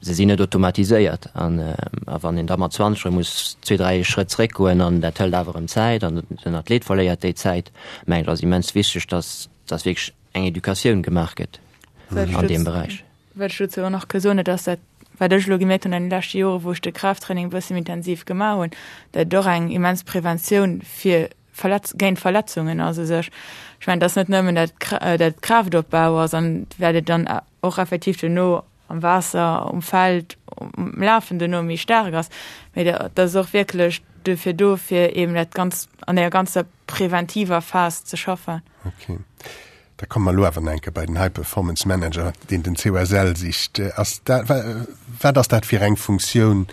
Se sinn net automatiséiert an a wann een da mat 20 erëm muss zwee, dräi Schrëtt zréckgoen an dat hëlt awer erëm Zäit an den Athlet verléiert déi Zäit, mengen ech ass immens wichteg, dass dass wierklech eng Educatioun gemaach gëtt an deem Beräich. Wat ech dozou och nach ka soen, et ass dat, wat ech elo gemierkt hunn an de leschte Jore wou ech de Kraafttraining e bësse méi intensiv gemaach hunn, dat et och eng immens Preventioun fir Verletz géint Verletzungen ass u sech. Ech mengen, et ass net nëmmen dat dat Kraaftopbau ass an wat et dann och effektiv duerno am Waasser, um Feld, um Lafen duerno méi staark ass, mee dat ass och wierklech duerfir do, fir eben dat Ganzt an deer ganzer preventiver Phas ze schaffen. Okay. Da komme mer elo awer nach eng Kéier bei den High Performance Manager, deen den COSL sicht. Ass dat, wat ass dat fir eng Funktioun?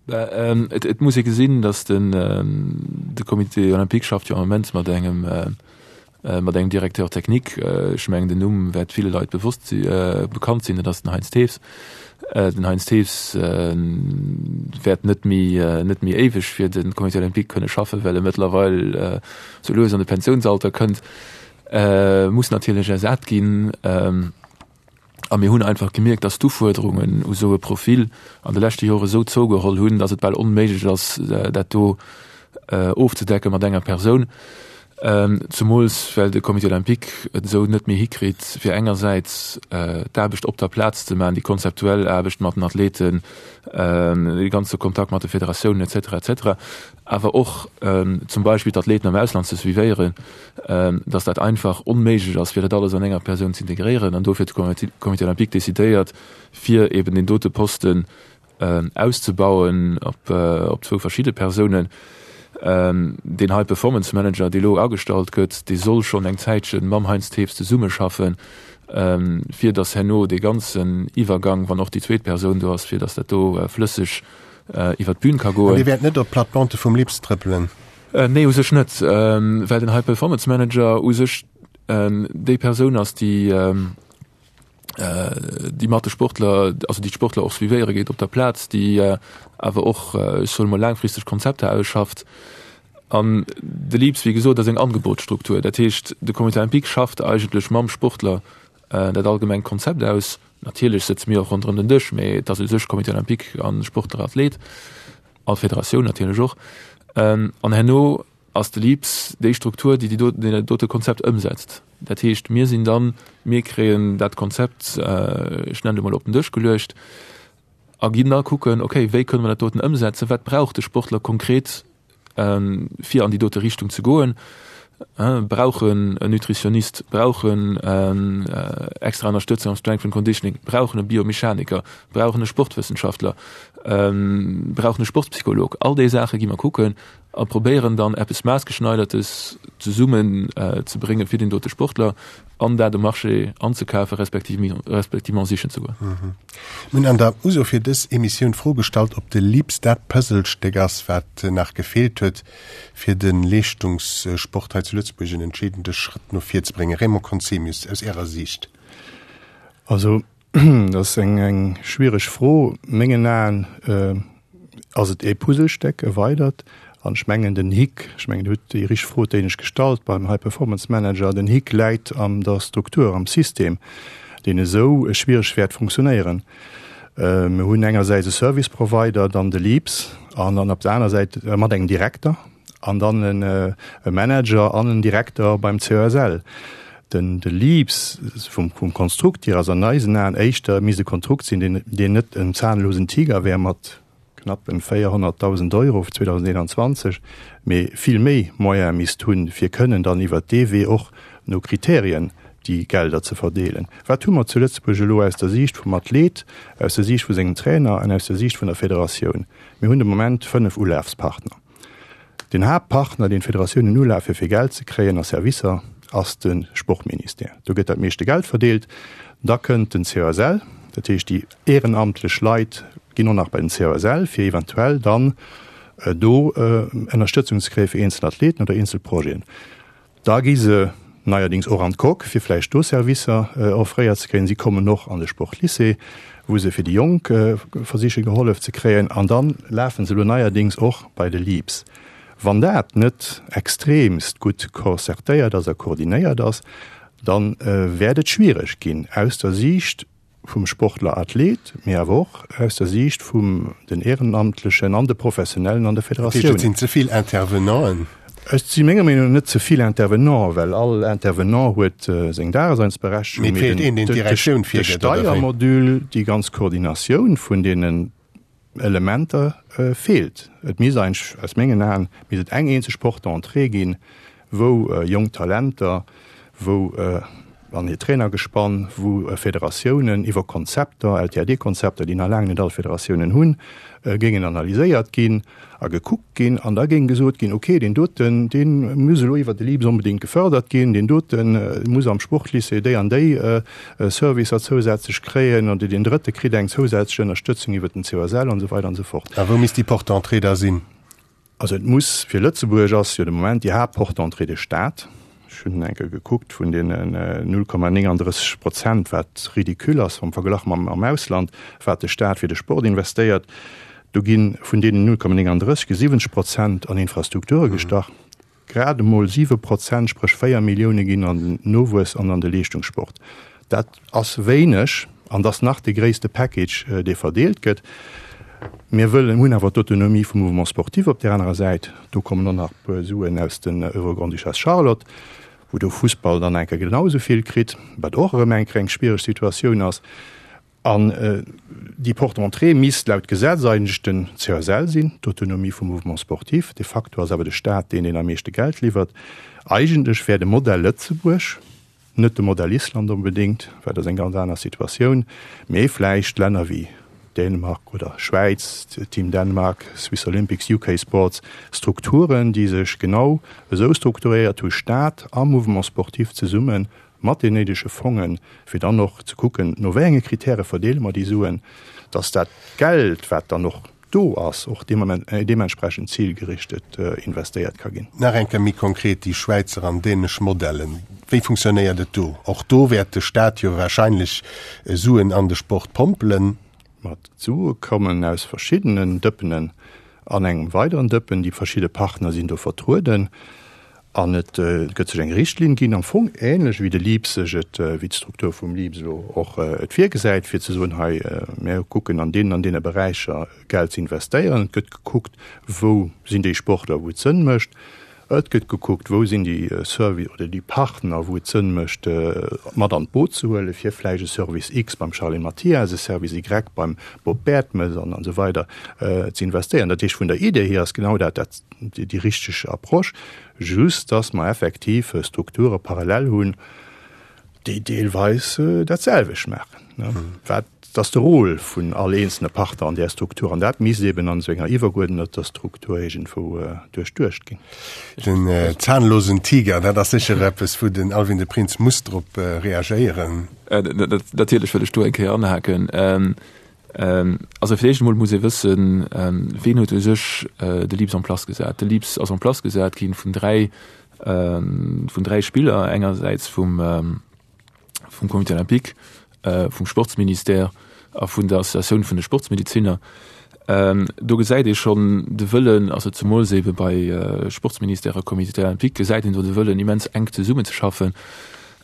Et muss ee gesinn, datt den de Comité olympique schafft jo am Moment mat engem mat engem Directeur technique. Ech mengen den Numm wäert ville Leit bewosst si bekannt sinn, dat ass den Heinz Thews. Den Heinz Thews wäert net méi net méi éiweg fir de Comité olympique kënne schaffen, well e mëttlerweil sou lues an de Pensiounsalter kënnt, muss natierlech ersat ginn. A mir hunn einfach gemierkt, dass d'Ufuerderungen u sou e Profil an de leschte Jore sou zougeholl hunn, dass et bal onméiglech ass, dat do ofzedecke mat enger Persoun. Zumools well de Comité olympique et esou net méi hikritt, fir engersäits d'Aarbecht op der Plaz ze maachen, déi konzeptuell Aarbecht mat den Athleten, dee ganze Kontakt mat de Federatiounen et cetera et cetera, awer och zum Beispill d'Athleten am Ausland ze suivéieren, dass dat einfach onméiglech ass, fir dat alles an enger Persoun ze integréieren. An dofir huet de Comité olympique decidéiert, fir eben deen dote Posten auszebauen op op zwou verschidde Persounen. Deen High Performance Manager, dee elo agestallt gëtt, dee soll schonn eng Zäitche mam Heinz Thews zesummeschaffen, fir dass herno dee ganzen Iwwergang, wann och déi zweet Persoun do ass, fir dass dat do flësseg iwwer d'Bün ka goen. An dee wäert net op d'Plate-bande vum Lips trëppelen? Nee, u sech net, well den High Performance Manager u sech déi Persoun ass, déi déi mat de Sportler, also déi d'Sportler och suivéiere geet op der Plaz, déi awer och, ech soen emol, laangfristeg Konzepter ausschafft. An de LEAPS, wéi gesot, ass eng Angebotsstruktur. Dat heescht, de Comité olympique schafft eigentlech mam Sportler dat allgemengt Konzept aus. Natierlech sëtze mir och ronderëm den Dësch, mee et ass u sech Comité olympique a Sportler, Athlet a Federatioun natierlech och. An herno ass de LEAPS déi Struktur, déi déi dat dote Konzept ëmsetzt. Dat heescht, mir sinn dann, mir kréien dat Konzept, ech nennen et emol, op den Dësch geluecht a ginn da kucken, okay, wéi kënne mer dat doten ëmsetzen, wat brauch de Sportler konkret, fir an déi dote Richtung ze goen, brauch en en Nutritionist, brauch en extra Ënnerstëtzung am Strength and Conditioning, brauch en e Biomechaniker, brauch en e Sportwëssenschaftler, brauch en e Sportspsycholog. All déi Saache gi mer kucken a probéieren dann eppes Maßgeschneidertes zesummen ze bréngen fir deen dote Sportler an dat um Marché anzekafen, respektiv respectivement sichen ze goen. Mir hunn an der Uso fir dës Emissioun d'Fro gestallt, ob de LIPS dat Puzzlestéck ass, wat nach gefeelt huet, fir de Leeschtungssport hei zu Lëtzebuerg en entscheedende Schrëtt no vir ze bréngen. Raymond Conzemius, aus Ärer Siicht? Also, dat ass eng schwiereg Fro. Mengen Aen ass et ee Puzzlestéck, e weidert. An ech mengen, den Hick, ech mengen, Dir hutt déi richteg Fro d'éinescht gestallt beim High Performance Manager, den Hick läit an der Struktur, am System, deen esou schwiereg wäert funktionéieren. Mir hunn engersäits e Service Provider, dann de LEAPS, an dann op der aner Säit mat engem Direkter an dann e Manager an en Direkter beim CESL. Den de LEAPS vum vum Konstrukt hier ass an eisen Aen éischter misst e Konstrukt sinn, deen deen net en zahnlosen Tiger wär mat knapp en 400.000 Euro 2021, mee vill méi Moyene misst hunn, fir kënnen dann iwwert dee Wee och no Kriterien. déi Gelder ze verdeelen. Wat hu mer zu Lëtzebuerg elo aus der Siicht vum Athlet, aus der Siicht vu sengem Trainer an aus der Siicht vun der Federatioun? Mir hunn de Moment 5 Ulafspartner. Den Haaptpartner, deen d'Federatiounen ulafe fir Geld ze kréien a Servicer, ass de Sportministère. Do gëtt dat meeschte Geld verdeelt. Da kënnt den COSL, dat heescht déi ehrenamtlech Leit ginn och nach bei den COSL, fir eventuell dann do Ënnerstëtzung ze kréie fir eenzel Athleten oder eenzel Projeten. Da gi se neierdings och an d'Coque, fir vläicht do Servicer offréiert ze kréien. Si kommen och an de Sportlycée, wou se fir déi Jonk versiche gehollef ze kréien. An da lafe se elo neierdings och bei de LEAPS. Wann dat net extremst gutt concertéiert ass a koordinéiert ass, da wäert et schwiereg ginn aus der Siicht vum Sportler Athlet, mee awer och aus der Siicht vum den Ehrenamtlechen an de Professionellen an de Federatiounen. Et sinn ze vill Intervenanten. Et si menger Meenung no net ze vill Intervenanten, well all Intervenant huet seng Daseinsberechtigung. Mee et feelt een, deen d'Direktioun virgëtt, oder wéi? De Steiermodul, déi ganz Koordinatioun vun deenen Elementer feelt. Et misst eigentlech, aus mengen Aen, misst et eng eenzeg Porte d'entrée ginn, wou jonk Talenter, wou an hir Trainergespann, wou Federatiounen iwwer Konzepter, LTAD-Konzepter, déi nach laang net all Federatiounen hunn, géingen analyséiert ginn a gekuckt ginn. An da géing gesot ginn, okay, deen doten, dee muss elo iwwer de LIPS onbedéngt gefördert ginn, deen dote muss am Sportlycée déi an déi Servicer zousätzlech kréien oder deen Drëtte kritt eng zousätzlech Ënnerstëtzung iwwer den COSL an esou weider an esou fort. A wou misst déi Porte d'entrée da sinn? Also et muss, fir Lëtzebuerg ass jo de Moment déi Haaptporte d'entrée de Staat. Ech hunn eng Kéier gekuckt, vun deenen 0,39 Prozent, wat ridicule ass am Verglach mam am Ausland, wat de Staat fir de Sport investéiert, do gi vun deenen 0,39 gi 70 Prozent an Infrastrukture gestach. Grad emol 7 Prozent, spréch 4 Millioune ginn an den Nowuess an an de Leeschtungssport. Dat ass wéineg an dat ass nach de gréisste Package, dee verdeelt gëtt. Mir wëllen, hunn awer d'Autonomie vum Mouvement sportif op där anerer Säit. Do kommen och nach e puer Suen aus den Oeuvre Grande-Duchesse Charlotte, wou de Fussball dann eng Kéier genau esou vill kritt, wat och erëm eng Kéier eng schwiereg Situatioun ass. An déi Porte d'entrée misst laut Gesetz eigentlech den CSL sinn, d'Autonomie vum Mouvement sportif. De facto ass awer de Staat deen, deen am meeschte Geld liwwert. Eigentlech wär de Modell Lëtzebuerg, net de Modell Island onbedéngt, well dat ass eng ganz aner Situatioun, mee vläicht Länner wéi Dänemark oder Schwäiz, Team Denmark, Swiss Olympics, UK Sports, Strukturen, déi sech genau esou strukturéiert hu, Staat a Mouvement sportif zesummen, mat den néidege Fongen, fir dann och ze kucken, no wéi enge Kritäre verdeele mer déi Suen, dass dat Geld, wat dann och do ass, och deementsprechend zilgerichtet investéiert ka ginn. Nach eng Kéier méi konkret déi Schwäizer an dänesch Modellen, Wéi funktionéiert et do? Och do wäert de Staat jo wahrscheinlech Suen an de Sport pompelen. Ma d'Sue kommen aus verschiddenen Dëppenen an engem weideren Dëppen. Déi verschidde Partner sinn do vertrueden. An et gëtt sech eng Richtlinn ginn, am Fong ähnlech wéi de LEAPS sech et, wéi d'Struktur vum LEAPS elo och et virgesäit, fir ze soen, hei mir kucken an deenen an deene Beräicher Geld ze investéieren. Et gëtt gekuckt, wou sinn déi Sportler, wou et Sënn mécht. Et gëtt gekuckt, wou sinn déi Servi oder déi Partner, wou et Sënn mécht, mat an d'Boot ze huelen, fir vläicht e Service X beim Charline Mathias, e Service Y beim Bob Bertemes an esou weider ze investéieren. Dat heescht, vun der Idee hier ass genau dat dat déi richteg Approche, just dass mer effektiv Strukture parallel hunn, déi deelweis dat selwecht maachen. Wat ass de Rôle vun all eenzelne Partner an där Struktur? An dat misst eben an esou enger iwwergeuerdeneter Struktur iergendwou duerchduecht ginn. Den zahnlosen Tiger, dat ass sécher eppes, wou den Alwin de Prins muss drop reagéieren. Natierlech wëll ech do eng Kéier anhaken. Also fir d'éischt emol muss ee wëssen, ween huet u sech de LEAPS en place gesat. De LEAPS ass en place gesat ginn vun dräi, vun dräi Spiller, engersäits vum, vum Comité olympique, vum Sportsministère a vun der Associatioun vun de Sportsmediziner. Do gesäit ee schonn de Wëllen, also zemools eebe bei Sportsministère a Comité olympique gesäit een do de Wëllen immens enk zesummenzeschaffen.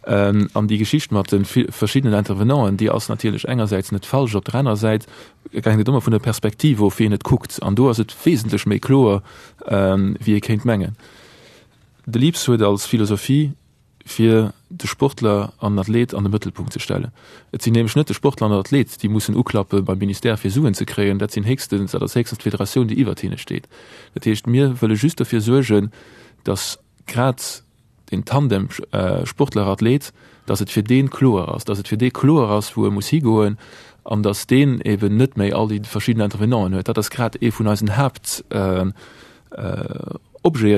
An déi Geschicht mat de verschiddenen Intervenanten, déi ass natierlech engersäits net falsch, op der anerer Säit hänkt et ëmmer vun der Perspektiv of, wéi een et kuckt. An do ass et wesentlech méi kloer, wéi ee kéint mengen. De LEAPS huet als Philosophie, fir de Sportler an den Athlet an de Mëttelpunkt ze stellen. Et sinn nämlech net de Sportler an den Athlet, déi mussen uklappe beim Ministère, fir Suen ze kréien, dat sinn héchstens, dat ass héchstens d'Federatioun, déi iwwert hinne steet. Dat heescht, mir wëlle just dofir suergen, datt grad. deen Tandem Sportler-Athlet, dass et fir dee kloer ass, dass et fir dee kloer ass, wou e muss higoen an dass deen eben net méi all déi verschidden Intervenanten huet. Dat ass grad ee vun eisen Haaptobjeten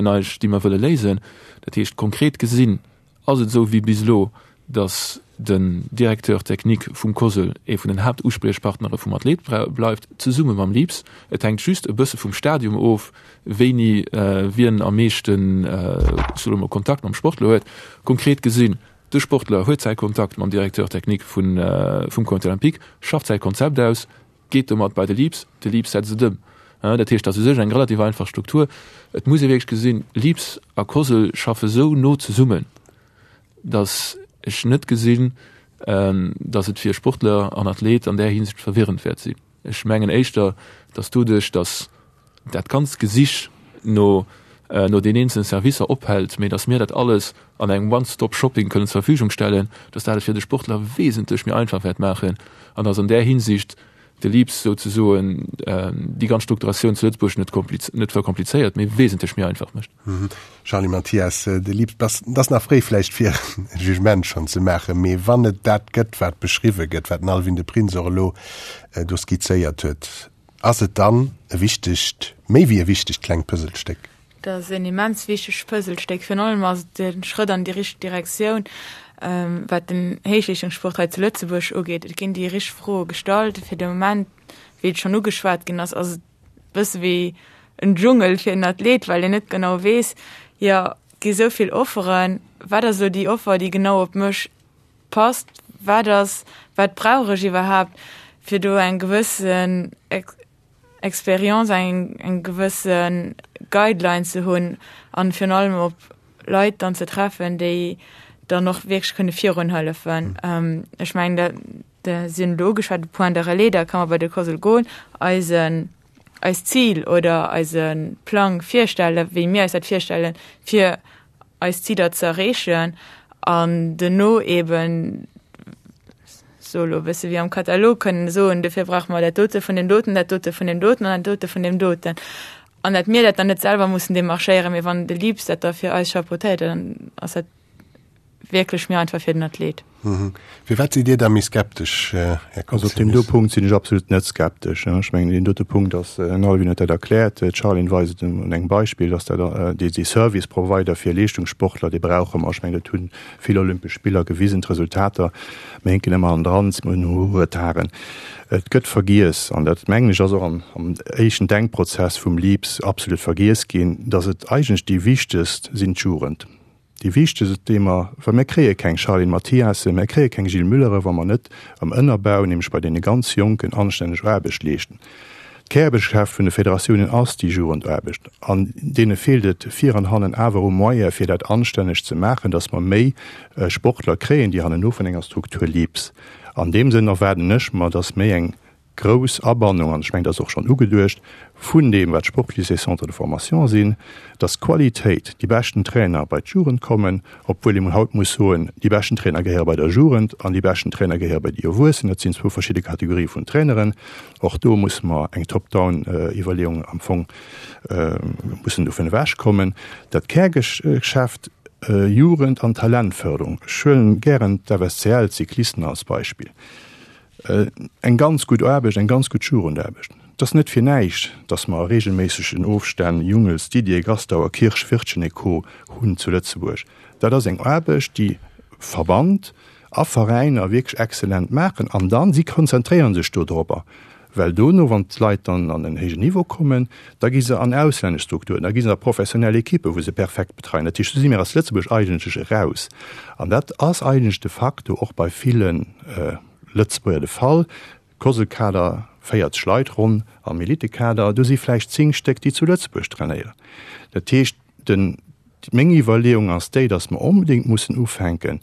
eigentlech, déi mer wëlle léisen. Dat heescht konkret gesinn, Ass et esou wéi bis elo, datt den Directeur technique vum COSL ee vun den Haaptuspriechpartnere vum Athlet bleift, zesumme mam LIPS? Et hänkt just e bësse vum Stadium of, wéini wien am meeschten, ech soe mol, Kontakt mam Sportler huet. Konkret gesinn, de Sportler huet säi Kontakt mam Directeur technique vum Comité olympique, schafft säi Konzept aus, geet domat bei de LEAPS, de LEAPS setzt et ëm. Dat heescht, dat ass u sech eng relativ einfach Struktur. Et muss ee wierklech gesinn, LEAPS a COSL schaffe sou no zesummen, datt ech net gesinn, datt et fir Sportler an Athlet an där Hinsicht verwirrend wäert sinn. Ech mengen éischter, datt doduerch, datt dat ganzt Gesich no no den eenzelen Servicer ophält, mee datt mir dat alles an engem One-Stop-Shopping kënnen zur Verfügung stellen, datt dat et fir de Sportler wesentlech méi einfach wäert maachen an datt an där Hinsicht de LEAPS souzesoen déi ganz Strukturatioun zu Lëtzebuerg net net verkomplizéiert, mee wesentlech méi einfach mécht. Charly Mathias, De LEAPS, et ass nach fréi vläicht fir e Jugement schonn ze maachen, mee wann et dat gëtt, wat beschriwwe gëtt, wat den Alwin de Prins och elo do skizzéiert huet, Ass et dann e wichtegt, méi wéi e wichtegt klengt Puzzlestéck? Dat ass en immens wichtegt Puzzlestéck. Virun allem ass et e Schrëtt an déi richteg Direktioun, wat den Héichleeschtungssport hei zu Lëtzebuerg ugeet. Et ginn déi richteg Froe gestallt. Fir de Moment, wéi et schonn ugeschwat ginn ass, ass et e bësse wéi en Dschungel fir en Athlet, well een net genau weess, jo, et gi sou vill Offeren, wat ass elo déi Offer, déi genau op mech passt, wat ass, wat brauch ech iwwerhaapt, fir do eng gewëssen Expérience, eng, eng gewësse Guideline ze hunn an virun allem op Leit dann ze treffen, déi dann och wierklech kënne virun hëllefen. Ech mengen, dat, dat sinn elo ugeschwat, de Point de relais, da ka mer bei de COSL goen, eisen, eist Zil oder eise Plang virstellen, wéi mir eis dat virstellen, fir eis Ziler ze erreechen an duerno eben, so elo e bësse wéi am Katalog, kënnen soen, dofir brauche mer dat dote vun deem doten, dat dote vun deem doten an dat dote vun deem doten. An dat mir dat dann net selwer mussen demarchéieren, mee wann de LEAPS dat da fir eis chapeautéiert, dann ass dat wierklech méi einfach fir den Athlet. Firwat sidd Dir da méi skeptesch, Här Conzemius? Also op deem do Punkt sinn ech absolut net skeptesch. Ech mengen, deen dote Punkt ass, den Alwin huet dat erkläert, d'Charline weist et un engem Beispill, dass dat dee Service Provider fir Leeschtungssportler, dee brauche mer. Ech mengen, dat hu vill Olympesch Spiller gewisen, d'Resultater. Mir hinken ëmmer hannendran, mir hunn Retarden. Et gëtt vergiess, an dat mengen ech ass och am éischten Denkprozess vum LEAPS absolut vergiess ginn, dass et eigentlech déi wichtegst sinn, d'Jugend. Déi wichtegst Theema, well mir kréie keng Charline Mathiasen, mir kréie keng Gilles Müllere wa mer net am Ënnerbau, nämlech bei deene ganz Jonken, anstänneg Aarbecht leeschten. D'Kärgeschäft vun de Federatiounen ass déi Jugendaarbecht an deene feelt et vir an hannen awer u Moyene fir dat anstänneg ze maachen, datt mer méi Sportler kréien, déi hanneno vun enger Struktur liebs. An deem Sënn erwaarden ech mer, datt méi eng grouss Abannung, an ech mengen, dat ass och schonn ugeduecht, vun deem, wat Sportlycées, Centres de formation sinn, dass d'Qualitéit, déi beschten Trainer bei d'Jugend kommen, obwuel ee haut muss soen, déi beschten Trainer gehéiere bei der Jugend an déi beschten Trainer gehéiere bei déi Erwuessen. Dat sinn zwou verschidde Kategorië vun Traineren. Och do musse mer eng Top-down-Iwwerleeung am Fong mussen dovun ewechkommen. Dat Kärgeschäft Jugend an Talentförderung, ech huelen gären d'FSCL, d'Cyclisten als Beispill, Eng ganz gutt Aarbecht, eng ganz gutt Jugendaarbecht. Et ass net fir näischt, datt mer a reegelméissegen Ofstänn Jungels, Didier, Gastauer, Kirsch, Wirtgen et Co. Hunn zu Lëtzebuerg. Dat ass eng Aarbecht, déi Verband a Veräiner wierklech exzellent maachen an dann, si konzentréiere sech do dorobber, well dono, wann d'Leit dann an en héijen Niveau kommen, da gi se an auslännesch Strukturen, da gi se a professionell Ekippen, wou se perfekt betreien. Dat heescht, do si mir als Lëtzebuerg eigentlech eraus. An dat ass eigentlech de facto och bei ville Lëtzebuerger de Fall. Cosl-Kader, 40 Leit ronn am Elitekader, do si vläicht 10 Stéck, déi zu Lëtzebuerg trainéieren. Dat heescht, den, meng Iwwerleeung ass déi, datt mer onbedéngt mussen ufänken,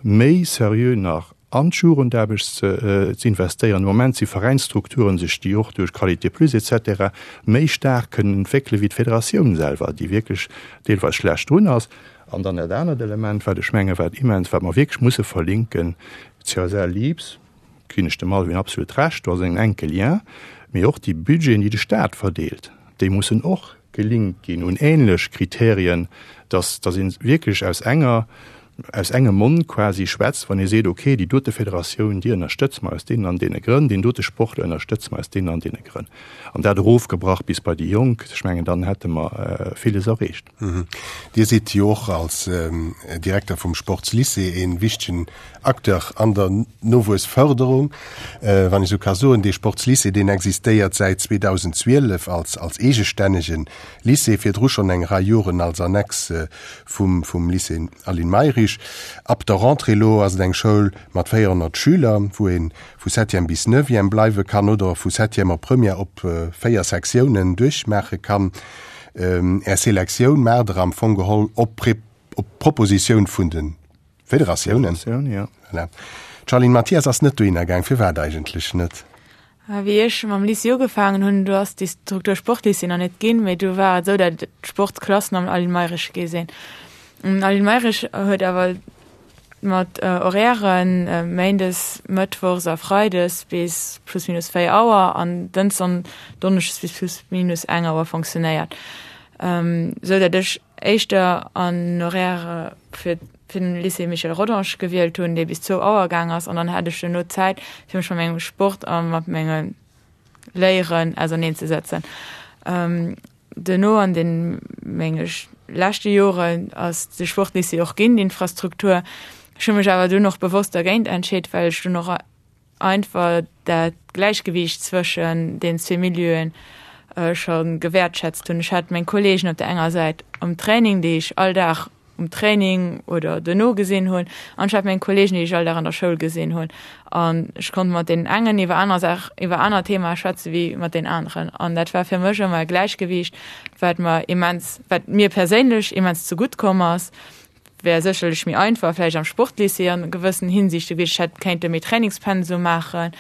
méi seriö nach an d'Jugendaarbecht ze investéieren. Am Moment si Veräinsstrukturen sech, déi och duerch Qualité Plus et cetera méi staark kënnen entwéckele wéi d'Federatioun selwer, déi wierklech deelweis schlecht drun ass. An dann dat anert Element, wat ech menge wat immens, wat mer wierklech musse verlinken, CSL Leaps, ginn ech dem Alwin absolut Recht, do ass en enke Lien, mee och déi Budgeten, déi de Stat verdeelt, déi mussen och. gelinkt ginn un ähnlech Kriterien, dass, dass ee wierklech aus enger, aus engem Mond quasi schwätzt, wann ee seet, okay, déi dote Federatioun, déi ënnerstëtze mer aus deenen an deene Grënn, deen dote Sportler ënnerstëtze mer aus deenen an deene Grënn. An dat erofgebrach bis bei déi Jonk, ech mengen, dann hätte mer villes erreecht. Dir sidd jo och als Direkter vum Sportslycée ee wichtegen Acteur an der Nowuessförderung, wann ech esou ka soen. Dee Sportslycée, deen existéiert säit 2012 als als eegestännege Lycée, virdru schonn eng Rei Joren als Annex vum vum Lycée Aline Mayrisch. Ab der Rentrée elo ass et eng Schoul mat 400 Schüler, wou ee vu Septième bis Neuvième bleiwe kann oder vu Septième op Première op 4 Sektiounen duerchmaache kann. Är Selektioun maacht Der am Fong geholl op op Propositioun vun de Federatiounen. Federatioun, jo. Voilà. D'Charline Mathias ass net dohinner gaang. Firwat eigentlech net? Wéi ech mam Lycée ugefaangen hunn, do ass déi Struktur Sportlycée nach net ginn, mee du war et esou, datt d'Sportsklassen am Aline Mayrisch gi sinn. Den Aline Mayrisch huet awer mat Horairen méindes, mëttwochs a freides bis plus minus 4 Auer an dënschdes an donneschdes bis plus minus eng Auer fonctionnéiert, esou datt ech éischter an Horaire fir fir den Lycée Michel Rodange gewielt hunn, dee bis zwou Auer gaang ass, an dann hat ech duerno Zäit, fir mech mat mengem Sport a mat menge Léieren auserneenzesetzen. Duerno an den menge leschte Joren ass de Sportlycée och ginn, d'Infrastruktur. Ech hu mech awer dunn och bewosst dergéint entscheet, well ech dunn och einfach dat Gläichgewiicht zwëschen den zwee Milieuen scho gewäertschätzt hunn. Ech hat meng Kolleegen op der enger Säit am Training, déi ech all Dag um Training oder duerno gesinn hunn, an ech hat meng Kolleegen, déi ech all Dag an der Schoul gesinn hunn. An ech konnt mat deenen engen iwwer aner Saach, iwwer aner Themae schwätze wéi mat deenen aneren. An dat war fir mech ëmmer e Gläichgewiicht, wat mer immens, wat mir perséinlech immens zegutt komm ass. Wär sécherlech méi einfach vläicht am Sportlycée an gewëssen Hinsichte gewiescht. Ech hätt kéinte méi Trainingspensum maachen.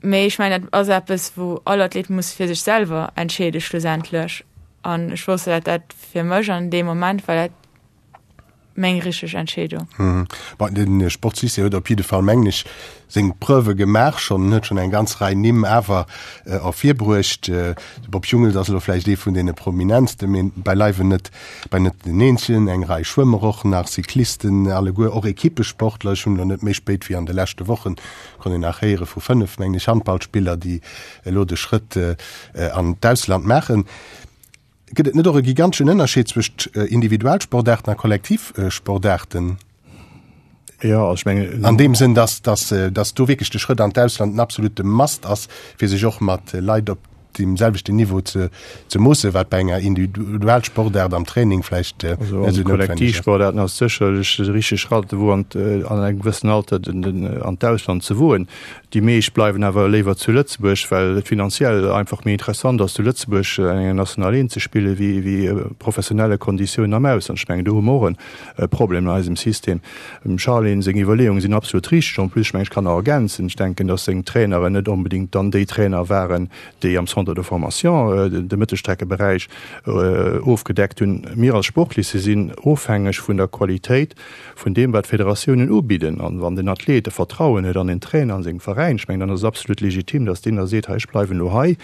Mee ech mengen, dat ass eppes, wou all Athlet muss fir sech selwer entscheede schlussendlech. An ech wosst, dat dat fir mech an deem Moment war dat meng richteg Entscheedung. Bon, de Sportslycée huet op jidde Fall, mengen ech, seng Preuve gemaach schonn, en huet schonn eng ganz Rei Nimm awer ervirbruecht. De Bob Jungels ass elo vläicht ee vun deene prominentsten, mee beileiwen net, bei net den eenzegen. Eng Rei Schwëmmer och nach, Cyclisten alleguer, och Equippesportler. Ech hunn elo net méi spéit wéi an de leschte Wochen, konnt een nach héiere vu 5, mengen ech, Handballspiller, déi elo de Schrëtt an d'Ausland maachen. Gëtt et net och e giganteschen Ënnerscheed zwëscht Individualsportaarten a Kollektivsportaarten? Jo, also ech mengen. An deem Sënn, dass, dass, dass do wierklech de Schrëtt an d'Ausland en absolute Must ass, fir sech och mat Leit op deem selwechten Niveau ze, ze moossen, wat bei enger Individualsportaart am Training vläicht net esou noutwenneg ass. Also an Kollektivsportaarten ass sécherlech de richtege Schratt, wou an, an engem gewëssenen Alter den, den, an d'Ausland ze woen. Déi meescht bleiwen awer léiwer zu Lëtzebuerg, well et finanziell einfach méi interessant ass, zu Lëtzebuerg an enger National 1 ze spillen, wéi wéi professionelle Konditiounen am Ausland. Ech mengen, do hu mer och e Problem an eisem System. Dem Charline seng Iwwerleeunge sinn absolut richteg. En plus, ech mengen, ech kann nach ergänzen, ech denken, datt seng Traineren net onbedéngt dann déi Trainer waren, déi am Centre de formation de Mëttelstreckeberäich ofgedeckt hunn. Mir als Sportlycée sinn ofhängeg vun der Qualitéit vun deem wat d'Federatiounen ubidden, an wann den Athlet e Vertrauen huet an den Trainer, an sengem Veräin, ech mengen, dann ass et absolut legitim, datt deen da seet, hei ech bleiwen elo hei.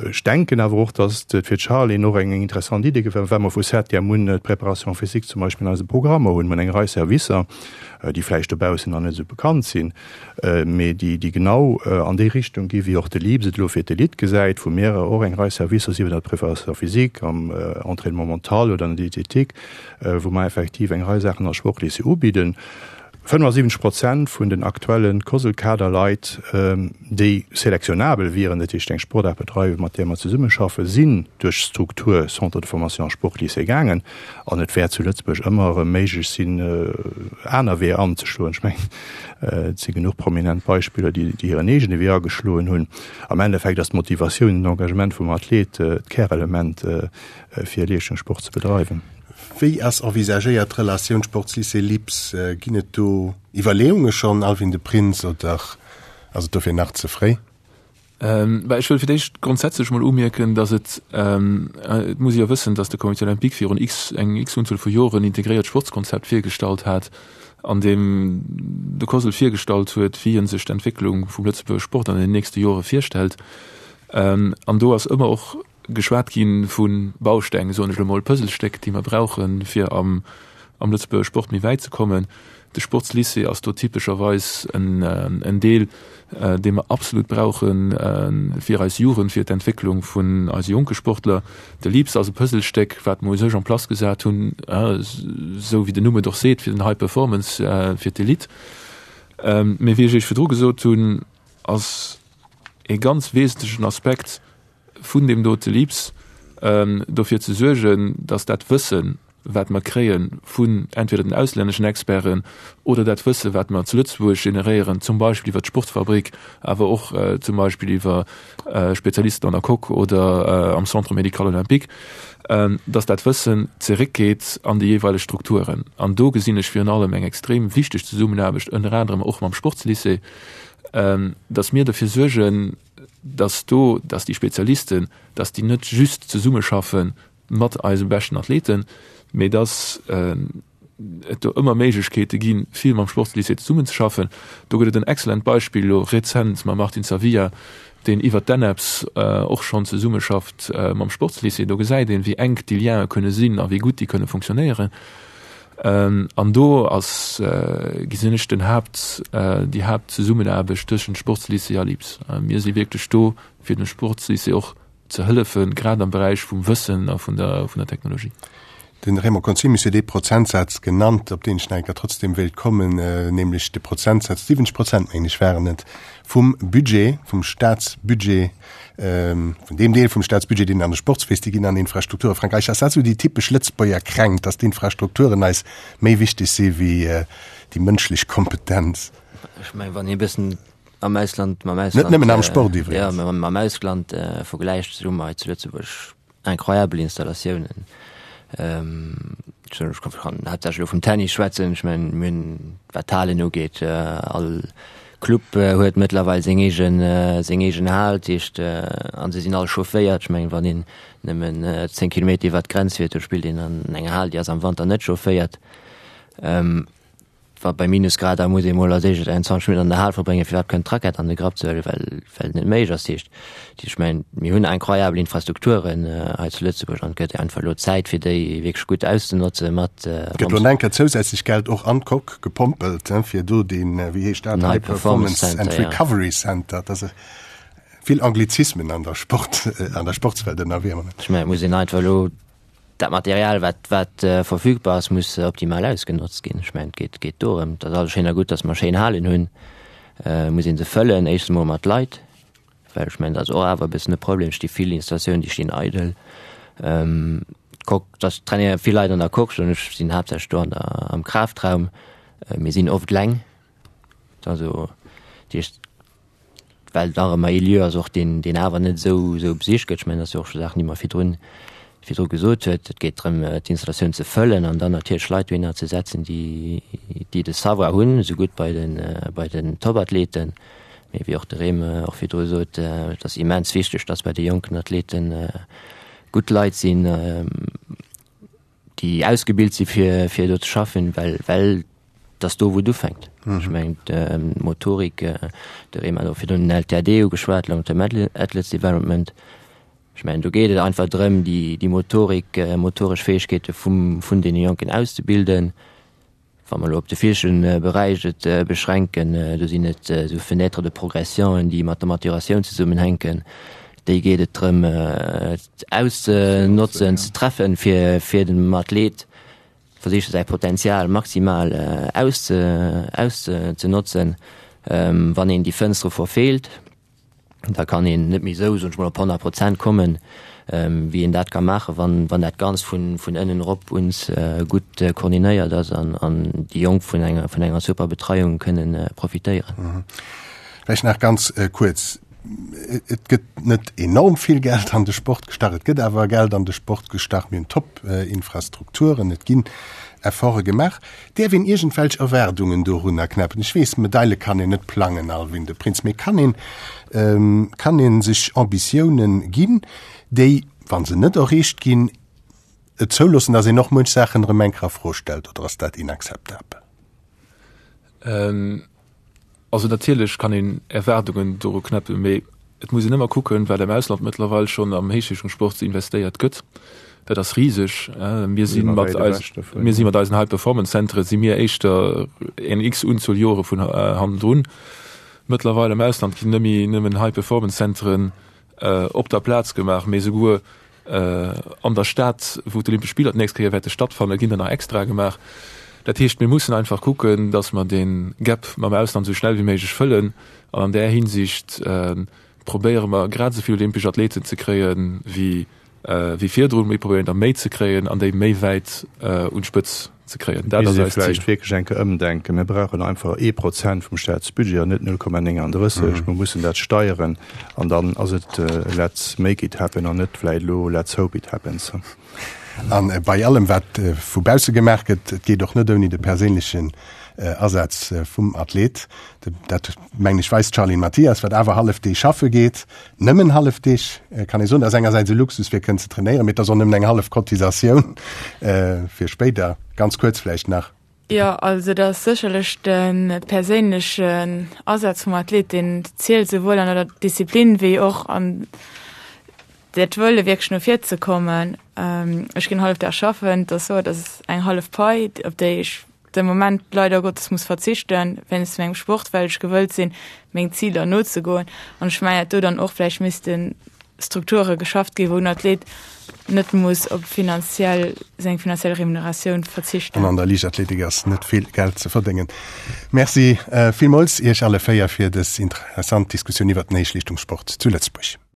Ech denken awer och, datt et fir d'Charline och eng interessant Idee war, well mer vu Septième un d'Préparation physique zum Beispill an eise Programmer hunn. Mer hunn eng Rei Servicer, déi vläicht dobaussen nach net esou bekannt sinn, mee déi déi genau an déi Richtung gi wéi och de LIPS et elo fir d'Elite gesäit, wou mir och eng Rei Servicer, sief et an der Préparation physique, am Entraînement mental oder an der Diététique, wou mer effektiv eng Rei Saachen als Sportlycée ubidden. 75 Prozent vun den aktuelle COSL-Kaderleit, déi selektionabel wieren, dat heescht eng Sportaart bedreiwen, mat där mer zesummeschaffen, sinn duerch d'Struktur Centre de formation Sportlycée gaangen. An et wäert zu Lëtzebuerg ëmmer erëm méiglech sinn, aner Weeër anzeschloen. Ech mengen, et si genuch prominent Beispiller, déi hiren eegene Wee ageschloen hunn. Am Endeffekt ass d'Motivatioun, den Engagement vum Athlet d'Kärelement, fir Leeschtungssport ze bedreiwen. Wéi ass envisagéiert d'Relatioun Sportslycée LIPS? Ginn et do Iwwerleeunge schonn, Alwin de Prins, oder ass et dofir nach ze fréi? Bah, ech wëll fir d'éischt grondsätzlech mol umierken, datt et, et muss ee jo wëssen, datt de Comité olympique virun x, eng x-Unzuel vu Joren en integréiert Sportskonzept virgestallt hat, an deem de COSL virgestallt huet, wéi e sech d'Entwécklung vum Lëtzebuerger Sport an den nächste Jore virstellt. An do ass ëmmer och. geschwat gi vu Bausteng, soen ech elo mol, Puzzlestéck, déi mer brauchen, fir am am Lëtzebuerger Sport méi wäit ze kommen. De Sportslycée ass do typescherweis en Deel, dee mer absolut brauche fir eis Jugend, fir d'Entwécklung vun eise jonke Sportler. De LIPS ass e Puzzlestéck, wat mer u sech en place gesat hunn, esou wéi den Numm et och seet, fir den High Performance, fir d'Elite. Mee wéi ech Iech virdru gesot hunn, ass e ganz wesentlechen Aspekt vun deem dote LIPS, dofir ze suergen, datt dat Wëssen, wat mer kréie vun entweder den auslänneschen Experten oder dat Wësse wat mer zu Lëtzebuerg generéieren, zum Beispill iwwer d'Sportfabrik, awer och zum Beispill iwwer Spezialisten an der Coque oder am Centre médical olympique, dass dat Wëssen zeréckgeet an déi jeeweileg Strukturen. An do gesinn ech virun allem eng extrem wichteg Zesummenaarbecht, ënner anerem och mam Sportslycée, dass mir dofir suergen, dass do, dass déi Spezialisten, dass déi net just zesummeschaffe mat eise beschten Athleten, mee dass et do ëmmer Méiglechkeete ginn, vill mam Sportslycée zesummenzeschaffen. Do gëtt et en excellent Beispill elo rezent mam Martin Zavia, deen iwwert d'ENEPS och schonn zesummeschafft mam Sportslycée. Do gesäit een, wéi enk déi Liene kënne sinn a wéi gutt déi kënne funktionéieren. An do ass, gesinn ech, den Haapt, déi Haaptzesummenaarbecht tëschent Sportslycée a LIPS. Mir si wierklech do, fir dem Sportslycée och ze hëllefen, grad am Beräich vum Wëssen a vun der, vun der Technologie. Den Raymond Conzemius huet ee Prozentsaz genannt, op deen ech nach eng Kéier trotzdem wéilt kommen, nämlech de Prozentsaz, 70 Prozent, mengen ech, waren et, vum Budget, vum Statsbudget, vun deem Deel vum Statsbudget, deen an de Sport fléisst, déi ginn an Infrastrukture. Frank Eicher, ass dat esou déi typesch Lëtzebuerger Kränkt, dass d'Infrastrukturen eis méi wichteg si wéi déi mënschlech Kompetenz? Ech mengen, wann ee e bëssen am Ausland mam Ausland Net nëmmen am Sport iwwregens. Ja, mam Ausland äh, vergläicht, sou hu mer hei zu Lëtzebuerg incroyabel Installatiounen. Ähm, ech kann haaptsächlech elo vum Tennis schwätzen. Ech mengen, mir hunn, wat d'Halen ugeet, äh, all Club äh, huet mëttlerweil seng eegen, äh, seng eegen Hal, dat heescht, äh, an se sinn all chaufféiert. Ech mengen, wann een nëmmen äh, 10 Kilometer iwwer d'Grenz fiert, do spillt een an enger Hal, déi ass am Wanter net chaufféiert. Ähm, Wa bei Minusgrader muss ee mol als éischt eng 20 Minutten an der Hal verbréngen, fir iwwerhaapt kënnen d'Rackett an de Grapp ze huelen, well well et net méiglech ass. Heescht, ech mengen, mir hunn incroyabel Infrastrukturen hei zu Lëtzebuerg an et gëtt einfach elo Zäit, fir déi wierklech gutt auszenotze mat. Gëtt elo enker zousätzlech Geld och an d'Coque gepompelt, fir do deen, wéi heescht dat, High Performance and Recovery Center, dat ass vill Anglizismen an der Sport, an der Sportswelt ënnerwee am Moment. Ech mengen, et muss een einfach elo Dat Material, wat, wat verfügbar ass, muss optimal ausgenotzt ginn. Ech mengen, et geet, geet dorëm. Et ass alles schéin a gutt, datt mer schéin Halen hunn. Et muss ee se fëllen, éischtens emol mat Leit, well ech mengen, dat ass och awer e bëssen e Problem. Et sti vill Installatiounen, déi stinn eidel. D'Coque, dass trainéiere vill Leit an der Coque, soen ech, sinn haaptsächlech do an der, am Kraftraum. Mir sinn oft eleng. Also, dat heescht, well et nach ëmmer ee Lieu ass och, deen, deen awer net esou, esou besicht gëtt. Ech mengen, dat ass jo och scho Saachen, déi mer virdrun, virdru gesot huet. Et geet drëm, d'Installatioun ze fëllen an dann natierlech Leit dohinner ze setzen, déi, déi de Savoir hunn, esougutt bei den, bei den Topathleten, mee wéi och de Rem och virdru sot, et ass immens wichteg, dass bei de jonken Athleten gutt Leit sinn, déi ausgebilt si fir fir do ze schaffen, well well dass do wou et ufänkt. Ech mengen d'Motorik, de Rem hat och virdrun den LTAD ugeschwat, Long Term Athletes Development. Ech mengen do geet et einfach drëm déi déi Motorik, motoresch Fäegkeete vum vun deene Jonken auszebilden. Wa mer elo op de viischten Beräich et beschränken, do sinn et esou Fenêtres de progression, déi mat der Maturatioun zesummenhänken. Déi geet et drëm auszenotzen, ze treffen, fir fir dem Athlet versiche säi Potenzial maximal auszenotzen. Wann een déi Fënstere verfeelt, da kann een net méi esou, soen ech mol, op 100 Prozent kommen, wéi een dat ka maachen, wann, wann dat Ganzt vun, vun ënnen erop uns gutt koordinéiert ass an, an déi Jonk vun enger, vun enger super Betreiung kënnen profitéieren. Vläicht nach ganz kuerz, Et gëtt net enorm vill Geld an de Sport gestach, et gëtt awer Geld an de Sport gestach. Mir hunn Top-Infrastrukturen, et ginn Efforte gemaach. Däerf een iergendwelch Erwaardungen dorunner knäppen? Ech weess, Medaile kann een net plangen, Alwin de Prins, mee kann een, kann ee sech Ambitiounen ginn, déi, wa se net erreecht ginn, et zouloossen, datt een och muench Saachen erëm eng Kéier a Fro stellt, oder ass dat inakzeptabel? Also natierlech kann een Erwaardungen doru knäppen, mee. Et muss een ëmmer kucken, wat am Ausland mëttlerweil schonn am Héichleeschtungssport investéiert gëtt. Dat ass riseg. Mir si mat eis, mir si mat eisen High-Performance-Centere si mir éischter eng x-Unzuel Jore vun hannendrun. Mëttlerweil am Ausland ginn net méi nëmmen High-Performance-Centeren op der Plaz gemaach, mee souguer an der Stad, wou d'Olympesch Spiller d'nächst Kéier wäerte stattfannen, ginn der nach extra gemaach. Dat heescht, mir mussen einfach kucken, datt mer dee Gap mam Ausland esou schnell wéi méiglech fëllen. An an där Hinsicht probéiere mer, grad esou vill olympesch Athleten ze kréien, wéi wéi virdrun. Mir probéieren der méi ze kréien an déi méi wäit un d'Spëtz ze kréien. Dat ass eist Zil. Vläicht wierklech eng Kéier ëmdenken. Mir brauchen einfach ee Prozent vum Staatsbudget an net 0,39. Mir mussen dat steieren an dann ass et let's make it happen an net vläicht elo let's hope it happens. A bei allem, wat vu bausse gemaach gëtt, et geet och net ouni de perséinlechen Asaz vum Athlet. Dat, mengen ech, weist d'Charline Mathias, wat awer hallef Deeg schaffe geet. Nëmmen hallef Deeg, kann ee soen. Dat ass engersäits e Luxus, fir kënnen ze trainéieren, mee et ass och nëmmen eng hallef Cotisatioun fir spéider. Ganz kuerz vläicht nach. Jo, also et ass sécherlech de perséinlechen Asaz vum Athlet, deen zielt, souwuel an der Disziplin wéi och an dat Wëlle wierklech no vir ze kommen. Ech ginn hallef Dag schaffen, et ass sou, et ass eng hallef Pai, op déi ech de Moment leider Gottes muss verzichten wéinst mengem Sport, well ech gewëllt sinn, meng Ziler nozegoen. An ech mengen, datt do dann och vläicht misste Strukture geschafft ginn, wou en Athlet net muss op finanziell, seng finanziell Remuneratioun verzichten. An an der Liichtathletik ass net vill Geld ze verdéngen. Merci villmools Iech alle 4 fir dës interessant Diskussioun iwwert den Héichleeschtungssport zu Lëtzebuerg.